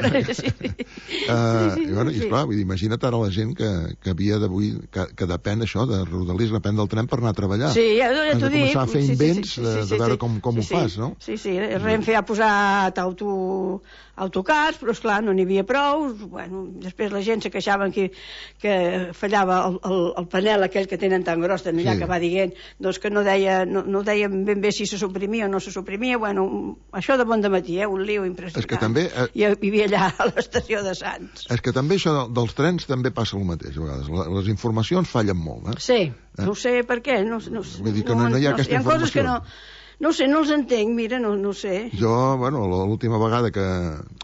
esclar, imagina't ara la gent que havia d'avui, que depèn això de Rodalies, depèn del tren per anar a treballar. Sí, ja t'ho dic. Has de començar a fer invents de veure com ho fas, no? Sí, Renfe ha posat autocars, però esclar, no n'hi havia prou. Bueno, després la gent se queixaven que fallava el panel aquell que tenen tan gros allà, que va dient doncs que no deien ben bé si se suprimia o no se suprimia. Bueno, això de Bon Dematí, un liu impressionant. És que també... I vivia allà a l'estació de Sants. És que també això dels trens també passa el mateix, a vegades. Les informacions fallen molt, Sí, no sé per què. Vull dir que no hi ha aquesta informació. Hi ha coses que no sé, no els entenc, mira, no sé. Jo, bueno, l'última vegada que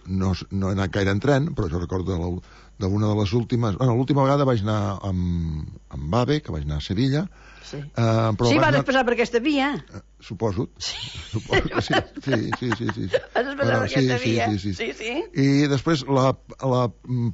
no he anat gaire en tren, però jo recordo d'una de les últimes... Bueno, l'última vegada vaig anar amb AVE, que vaig anar a Sevilla. Sí, però sí, vas passar per aquesta via. Suposo. Suposo que sí. Sí. Vas passar per aquesta via. Sí. I després, la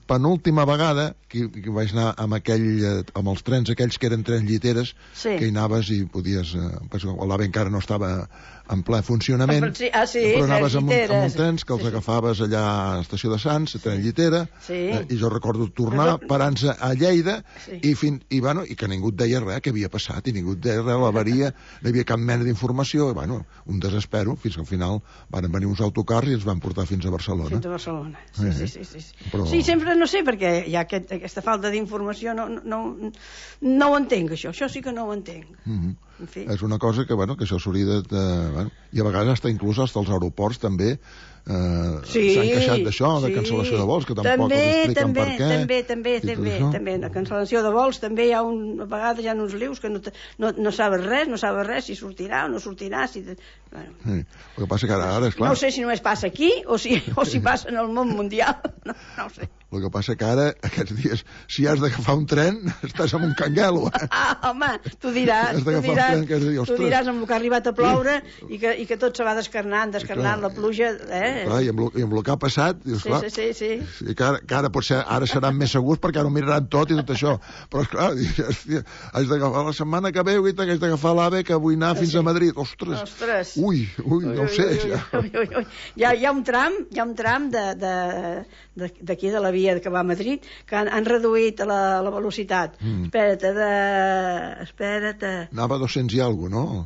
penúltima vegada, que vaig anar amb els trens aquells que eren trens lliteres, que hi anaves i podies... L'AVE encara no estava en ple funcionament, però anaves amb uns trens que els agafaves allà a l'estació de Sants, tren llitera, i jo recordo tornar, parar-nos a Lleida, i que ningú et deia res, que havia passat, i ningú et deia res, l'avaria, no hi havia cap mena d'informació, i un desespero, fins que al final van venir uns autocars i ens van portar fins a Barcelona. Fins a Barcelona, sí. Però... Sí, sempre no sé, perquè hi ha aquesta falta d'informació, no ho entenc, això sí que no ho entenc. En fi. És una cosa que això s'hauria de... I a vegades inclús els aeroports també s'han queixat d'això, de cancel·lació de vols, que tampoc expliquen per què. També, la cancel·lació de vols, també hi ha a vegades hi ha uns lius que no sabes res, si sortirà o no sortirà. El que passa que ara, esclar... No sé si només passa aquí o si passa en el món mundial, no ho sé. El que passa que ara, aquests dies, si has d'agafar un tren, estàs amb un canguelo. Home, tu diràs amb el que ha arribat a ploure i que tot se va descarnant la pluja. I amb el que ha passat, dius, clar, que ara potser seran més segurs perquè ara ho miraran tot i tot això. Però, esclar, haig d'agafar la setmana que veu i haig d'agafar l'AVE que vull anar fins a Madrid. Ostres! Ui, no ho sé. Hi ha un tram d'aquí de la via que va a Madrid, que han reduït la velocitat. Espera't. Anava a 200 i alguna cosa, no?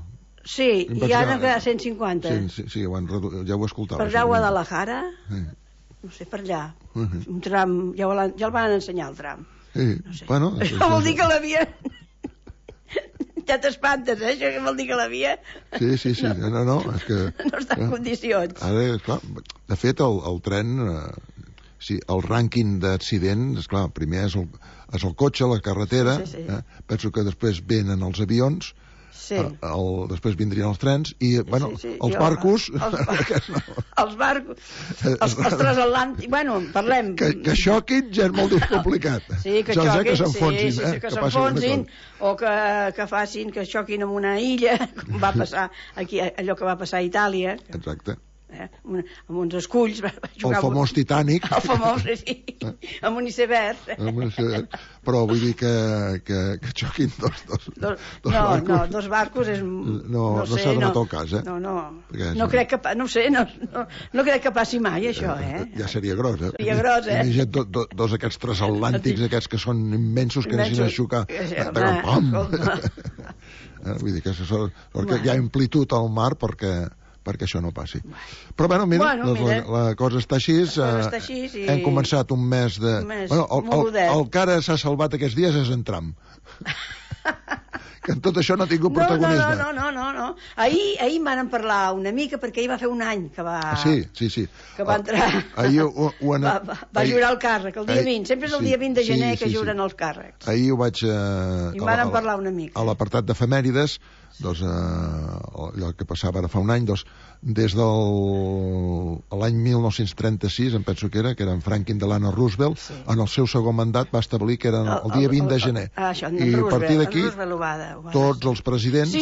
Sí, i ara a 150. Sí, ja ho escoltava. Per allà a Guadalajara, no sé, per allà. Un tram, ja el van ensenyar, el tram. Bueno... Això vol dir que la via... Ja t'espantes, això que vol dir que la via... Sí, no, és que... No està en condicions. Ara, esclar, de fet, el tren... Sí, el rànquing d'accidents, esclar, primer és el cotxe, la carretera, penso que després venen els avions, després vindrien els trens, i, els barcos... Els barcos, els transatlàntics, parlem... Que xoquin ja és molt complicat. Sí, que xoquin, que s'enfonsin, o que facin, que xoquin en una illa, com va passar aquí, allò que va passar a Itàlia. Exacte. Amb uns esculls el famós Titanic amb un iceberg però vull dir que xoquin dos barcos és... no s'ha donat el cas no crec que passi mai això ja seria gros imagina't dos aquests transatlàntics aquests que són immensos que deixin a xocar vull dir que hi ha amplitud al mar perquè això no passi. Però mira, la cosa està així, hem començat un mes de... El que ara s'ha salvat aquests dies és en Trump. Que en tot això no ha tingut protagonisme. No. Ahir van parlar una mica, perquè ahir va fer un any que va... Sí. Que va entrar... Va jurar el càrrec, el dia 20. Sempre és el dia 20 de gener que juren els càrrecs. Ahir ho vaig... I van parlar una mica. A l'apartat d'efemèrides, allò que passava ara fa un any, des de l'any 1936, em penso que era en Franklin Delano Roosevelt, en el seu segon mandat va establir que era el dia 20 de gener. I a partir d'aquí, tots els presidents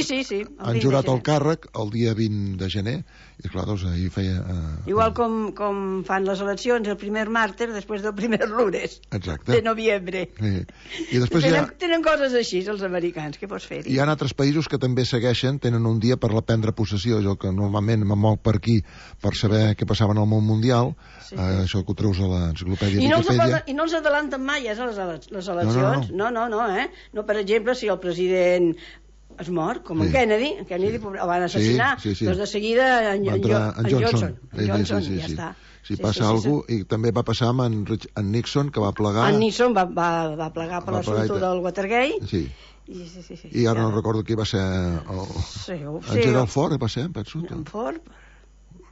han jurat el càrrec el dia 20 de gener, i clar, ahir feia... Igual com fan les eleccions, el primer màrtir després del primer lunes de novembre. I després tenen coses així, els americans, què pots fer-hi? Hi ha altres països que també segueixen, tenen un dia per la prendre possessió, jo que normalment me moc per aquí per saber què passava en el món mundial, això que ho treus a l'enciclopèdia Wikipedia. I no els adelanten mai, les eleccions. No, per exemple, si el president es mor, com en Kennedy el van assassinar, doncs de seguida en Johnson, ja està. Si passa alguna cosa, i també va passar amb en Nixon, que va plegar... En Nixon va plegar per l'assumpte del Watergate. I ara no recordo qui va ser en Gerald Ford va ser, penso. En Ford?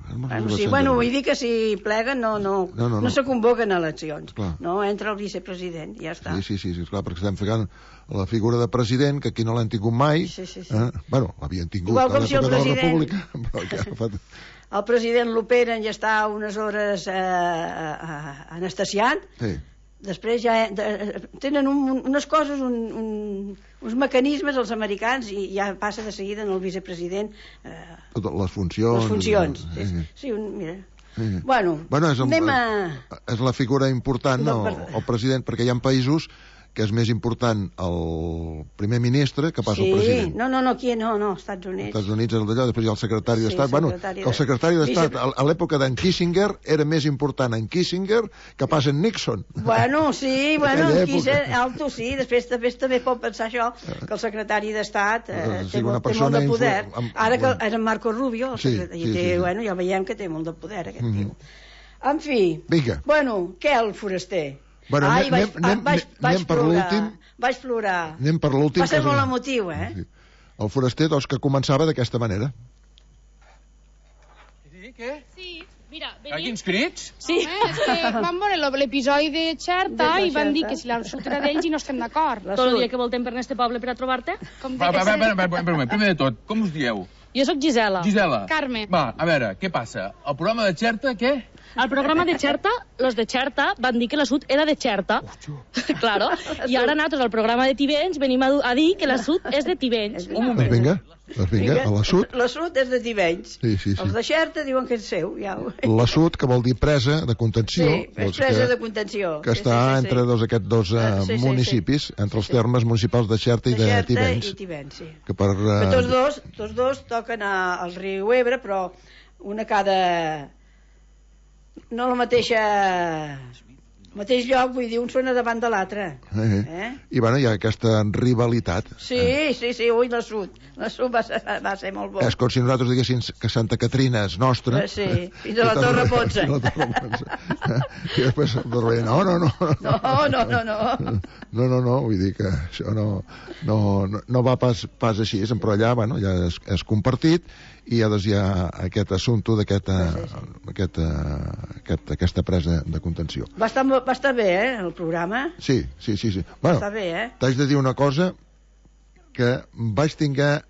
Vull dir que si pleguen no se convoquen eleccions, no entra el vicepresident, ja està. Sí, clar, perquè estem ficant la figura de president, que aquí no l'han tingut mai. L'havien tingut a l'època de la República. El president l'operen i està unes hores anestesiant, Després ja tenen unes coses, uns mecanismes els americans i ja passa de seguida en el vicepresident les funcions. Les funcions. Sí, mira. Bueno, és la figura important, el president, perquè hi ha països que és més important el primer ministre que pas el president. No, aquí no, Estats Units. Estats Units és el d'allò, després hi ha el secretari d'Estat. Bueno, el secretari d'Estat, a l'època d'en Kissinger, era més important en Kissinger que pas en Nixon. Bueno, sí, alto, sí. Després també pot pensar això, que el secretari d'Estat té molt de poder. Ara que era Marco Rubio, ja veiem que té molt de poder, aquest tio. En fi, bueno, què el foraster? Bueno, anem per l'últim. Vaig plorar. Anem per l'últim. Va ser molt emotiu, El foraster, doncs, que començava d'aquesta manera. Què? Sí, mira, Aquí ens crits? Sí. És que vam veure l'episodi de Xerta i van dir que si la sud era d'ells i no estem d'acord. Tot el dia que voltem per este poble per a trobar-te. Primer de tot, com us dieu? Jo sóc Gisela. Gisela. Carme. Va, a veure, què passa? El programa de Xerta, què? Al programa de Xerta, los de Xerta van dir que la sud era de Xerta. Claro. I ara nosaltres al programa de Tivenys venim a dir que la sud és de Tivenys. Un moment. Doncs vinga, a la sud. La sud és de Tivenys. Sí. Els de Xerta diuen que és seu. La sud, que vol dir presa de contenció. Sí, presa de contenció. Que està entre aquests dos municipis, entre els termes municipals de Xerta i de Tivenys. I Tivenys, sí. Però tots dos toquen al riu Ebre, però una cada... No la mateixa... mateix lloc, vull dir, un sona davant de l'altre. I bueno, hi ha aquesta rivalitat. Sí, ui, la sud va ser molt bo. És com si nosaltres diguéssim que Santa Caterina és nostra. Sí, fins a la Torre Potsa. I després no, vull dir que això no va pas així, però allà, bueno, ja és compartit i ja hi ha aquest assumpte d'aquesta presa de contenció. Va estar bé, el programa? Sí. Bueno, està bé, t'haig de dir una cosa, que vaig tinguer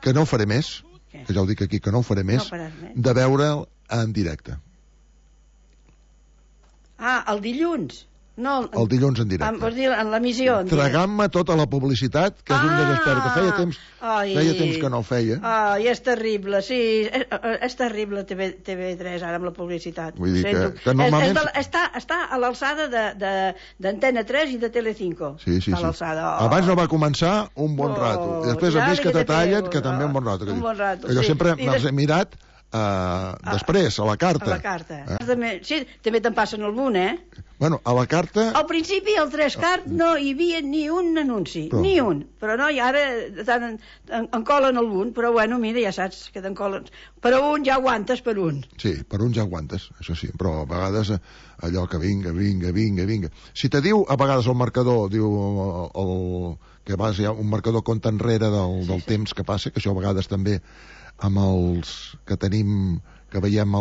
que no ho faré més, que ja ho dic aquí, que no ho faré més, de veure'l en directe. El dilluns? No, el dilluns en directe. Vols dir en l'emissió? Tragant-me tota la publicitat, que és un desesper, que feia temps que no ho feia. És terrible, sí, és terrible TV3 ara amb la publicitat. Vull dir que normalment... Està a l'alçada d'Antena 3 i de Telecinco. Sí. Abans no va començar un bon rato, i després a més que te tallen, que també un bon rato. Que jo sempre me'ls he mirat després, a la carta. Sí, també te'n passen algun, Bueno, a la carta... Al principi, al 3 no hi havia ni un anunci, ni un. Però no, i ara en colen algun, però bueno, mira, ja saps que te'n colen. Per un ja aguantes per un. Sí, per un ja aguantes, això sí, però a vegades allò que vinga. Si te diu, a vegades el marcador, diu que hi ha un marcador compte enrere del temps que passa, que això a vegades també amb els que tenim, que veiem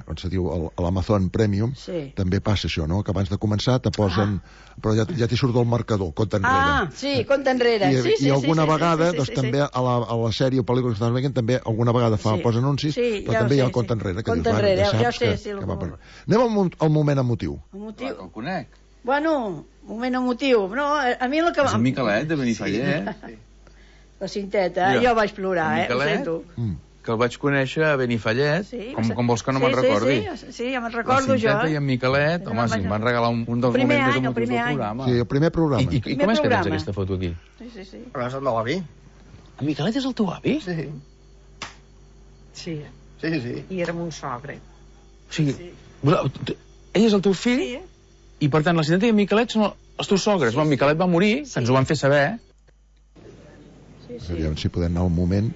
on se diu, l'Amazon Premium, també passa això, no? Que abans de començar te posen... Però ja t'hi surt el marcador, compte enrere. Sí, compte enrere. I alguna vegada, doncs també a la sèrie o pel·lícula que estàs veient, també alguna vegada posa anuncis, però també hi ha el compte enrere. Compte enrere, ja sé. Anem al moment emotiu. Que el conec. Bueno, moment emotiu. A mi el que... És en Miquelet, de Benifallet. La cinteta, jo vaig plorar, ho sento. Que el vaig conèixer a Benifallet, com vols que no me'n recordi. Sí, ja me'n recordo jo. La cinteta i en Miquelet, home, si em van regalar un dels moments més emotius del programa. Sí, el primer programa. I com és que tens aquesta foto aquí? Sí. Però és el meu avi. En Miquelet és el teu avi? Sí. I era mon sogre. O sigui, ell és el teu fill? Sí. I per tant, la cinteta i en Miquelet són els teus sogres. En Miquelet va morir, que ens ho van fer saber. Aviam si podem anar un moment.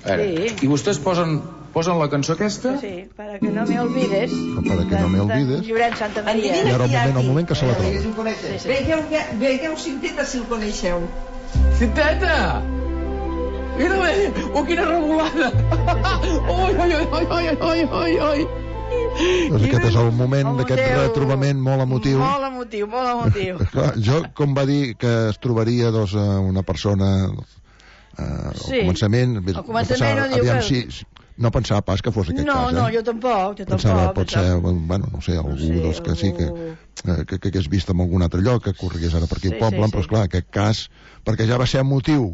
I vostès posen la cançó aquesta? Sí, para que no me olvides. Para que no me olvides. Llorenç Santa Maria. I ara el moment que se la troba. Veieu Cinteta, si el coneixeu. Cinteta! Mira-la! Quina revolada! Oi! Doncs aquest és el moment d'aquest retrobament molt emotiu. Molt emotiu. Jo, com va dir que es trobaria una persona al començament, al començament no diu que... no pensava pas que fos aquest cas, No, jo tampoc. Pensava, pot ser, bueno, no sé, algú dels que sí que hagués vist en algun altre lloc, que corregués ara per aquí al poble, però esclar, aquest cas, perquè ja va ser motiu,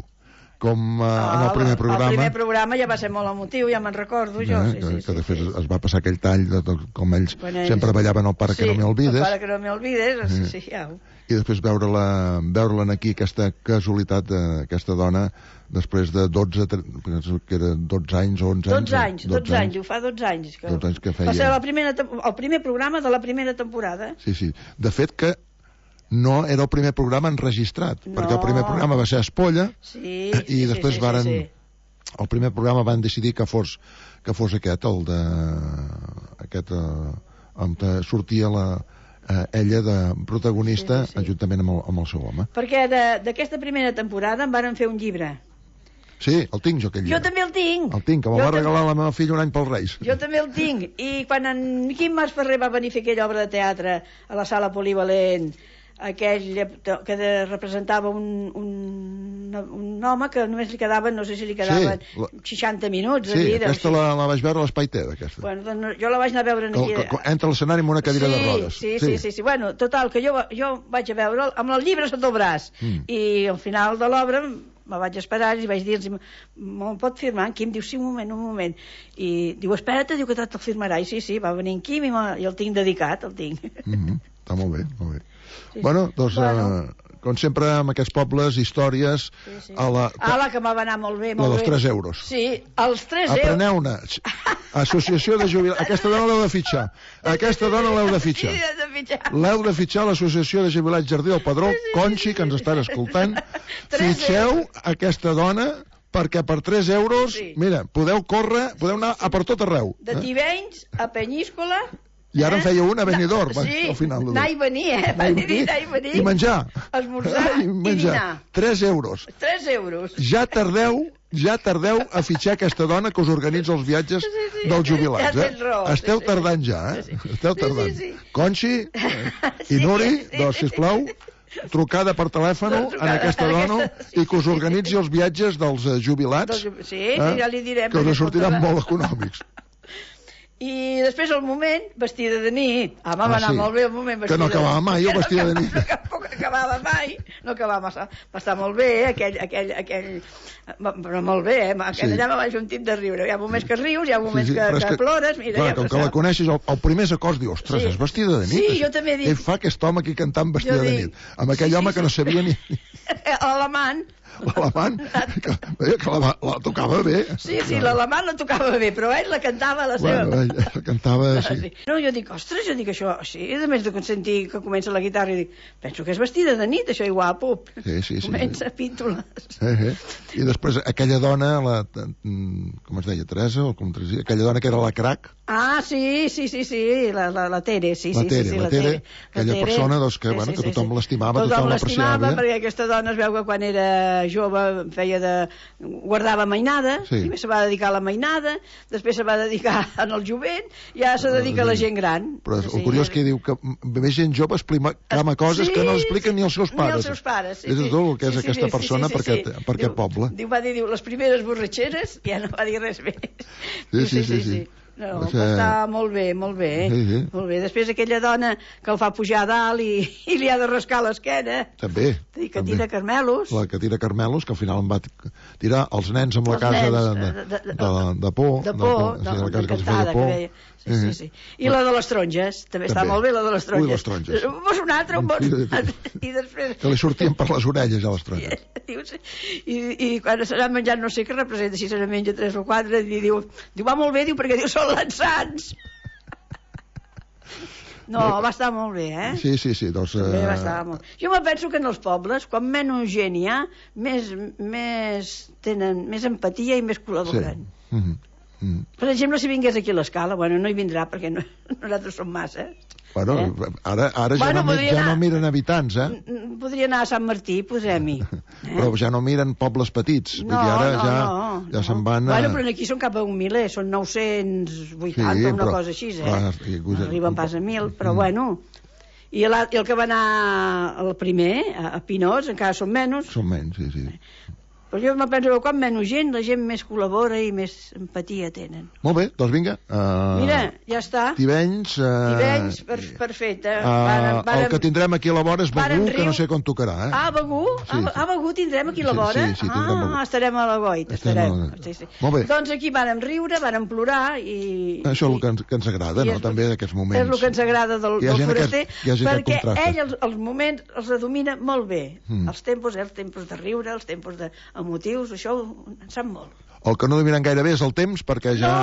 com en el primer programa. El primer programa ja va ser molt emotiu, ja me'n recordo jo. Que de fet es va passar aquell tall, com ells sempre ballaven el Para que no me olvides. El Para que no me olvides, sí, ja. I després veure-la aquí, aquesta casualitat d'aquesta dona, després de 12 anys o 11 anys. 12 anys, ho fa 12 anys. 12 anys que feia. Va ser el primer programa de la primera temporada. Sí. De fet que no era el primer programa enregistrat, perquè el primer programa va ser Espolla, i després el primer programa van decidir que fos aquest, el de on sortia ella de protagonista juntament amb el seu home. Perquè d'aquesta primera temporada en varen fer un llibre. Sí, el tinc jo, aquell llibre. Jo també el tinc. El tinc, que me'l va regalar la meva filla un any pels Reis. Jo també el tinc. I quan en Quim Mas Ferrer va venir a fer aquella obra de teatre a la sala polivalent, aquell que representava un home que només li quedaven, no sé si li quedaven 60 minuts de vida. Sí, aquesta la vaig veure a l'Espai Ted, aquesta. Bueno, doncs jo la vaig anar a veure aquí. Entra a l'escenari amb una cadira de rodes. Sí. Bueno, total, que jo vaig a veure'l amb el llibre sota el braç. I al final de l'obra me vaig esperar i vaig dir-los, me'l pot firmar? En Quim diu, sí, un moment. I diu, espera't, diu que te'l firmarà. I sí, va venir en Quim i el tinc dedicat, el tinc. Està molt bé. Bueno, doncs, com sempre, amb aquests pobles, històries... que m'ha d'anar molt bé. La dels 3 euros. Sí, els 3 euros. Apreneu-ne. Associació de jubilats. Aquesta dona l'heu de fitxar. L'heu de fitxar a l'Associació de Jubilats Jardí del Pedró, Conxi, que ens estan escoltant. Fitxeu aquesta dona, perquè per 3 euros, mira, podeu anar a per tot arreu. De Tivenys a Penyíscola... I ara en feia una a Benidorm, al final. Anar i venir, anar i venir. I menjar. Esmorzar i dinar. 3 euros. 3 euros. Ja tardeu a fitxar aquesta dona que us organitza els viatges dels jubilats. Esteu tardant ja, Esteu tardant. Conxi i Nuri, doncs, sisplau, trucada per telèfon a aquesta dona i que us organitzi els viatges dels jubilats. Sí, ja li direm. Que us sortiran molt econòmics. I després el moment, vestida de nit. Va anar molt bé el moment vestida de nit. Que no acabava mai, vestida de nit. Tampoc acabava mai. No acabava massa. Va estar molt bé, aquell... Però molt bé, allà me vaig un tip de riure. Hi ha moments que rius, hi ha moments que plores. Clar, com que la coneixes, el primer acords dius, ostres, és vestida de nit? Sí, jo també dic. Què fa aquest home aquí cantant vestida de nit? Amb aquell home que no sabia ni... L'alamant. L'alamant, que la tocava bé. Sí, l'alamant la tocava bé, però ell la cantava a la seva. Bueno, ell la cantava, sí. No, jo dic, ostres, això, sí, a més de sentir que comença la guitarra, i dic, penso que és vestida de nit, això, i guapo. Sí. Comença píntoles. I després aquella dona, com es deia, Teresa, o com Teresa, aquella dona que era la crac. Sí, la Tere, sí. La Tere, aquella persona que tothom l'estimava, tothom l'apreciava. Perquè aquesta dona es veu que quan era jove guardava mainada, primer se va dedicar a la mainada, després se va dedicar al jovent, i ara se dedica a la gent gran. Però el curiós que diu que ve gent jove exclama coses que no expliquen ni els seus pares. Ni els seus pares, sí. És tot el que és aquesta persona per aquest poble. Va dir, les primeres borratxeres, ja no va dir res més. Sí. No, està molt bé. Molt bé. Després aquella dona que el fa pujar a dalt i li ha de rascar l'esquena. També. Que tira carmelos. La que tira carmelos, que al final em va tirar els nens amb la casa de por. De por, encantada, que deia. Sí. I la de les taronges, també està molt bé, la de les taronges. Ui, les taronges. Un bon altre. I després... Que li sortien per les orelles, a les taronges. I quan s'ha menjat no sé què representa, si se n'ha menja 3 o 4, i diu, va molt bé, perquè diu, són l'ensans. No, va estar molt bé, Sí, doncs... Va estar molt... Jo me penso que en els pobles, quan menys gent hi ha, tenen més empatia i més col·laboren. Per exemple, si vingués aquí a l'Escala, no hi vindrà perquè nosaltres som massa. Ara ja no miren habitants, Podria anar a Sant Martí, posem-hi. Però ja no miren pobles petits. No. Ja se'n van a... Però aquí són cap a 1 miler, són 980, una cosa així, No arriben pas a 1.000, però bueno... I el que va anar el primer, a Pinós, encara són menys. Són menys, sí. Però jo me penso que quan menys gent, la gent més col·labora i més empatia tenen. Molt bé, doncs vinga. Mira, ja està. Tivenys... Tivenys, perfecte. El que tindrem aquí a la vora és Begú, que no sé quan tocarà. Begú? Begú tindrem aquí a la vora? Sí, tindrem Begú. Estarem a la goita, estarem. Molt bé. Doncs aquí vàrem riure, vàrem plorar i... Això és el que ens agrada, no?, també, d'aquests moments. És el que ens agrada del foraster, perquè ell els moments els domina molt bé. Els tempos de riure, els tempos emotius, això en sap molt. El que no dominen gaire bé és el temps, perquè ja...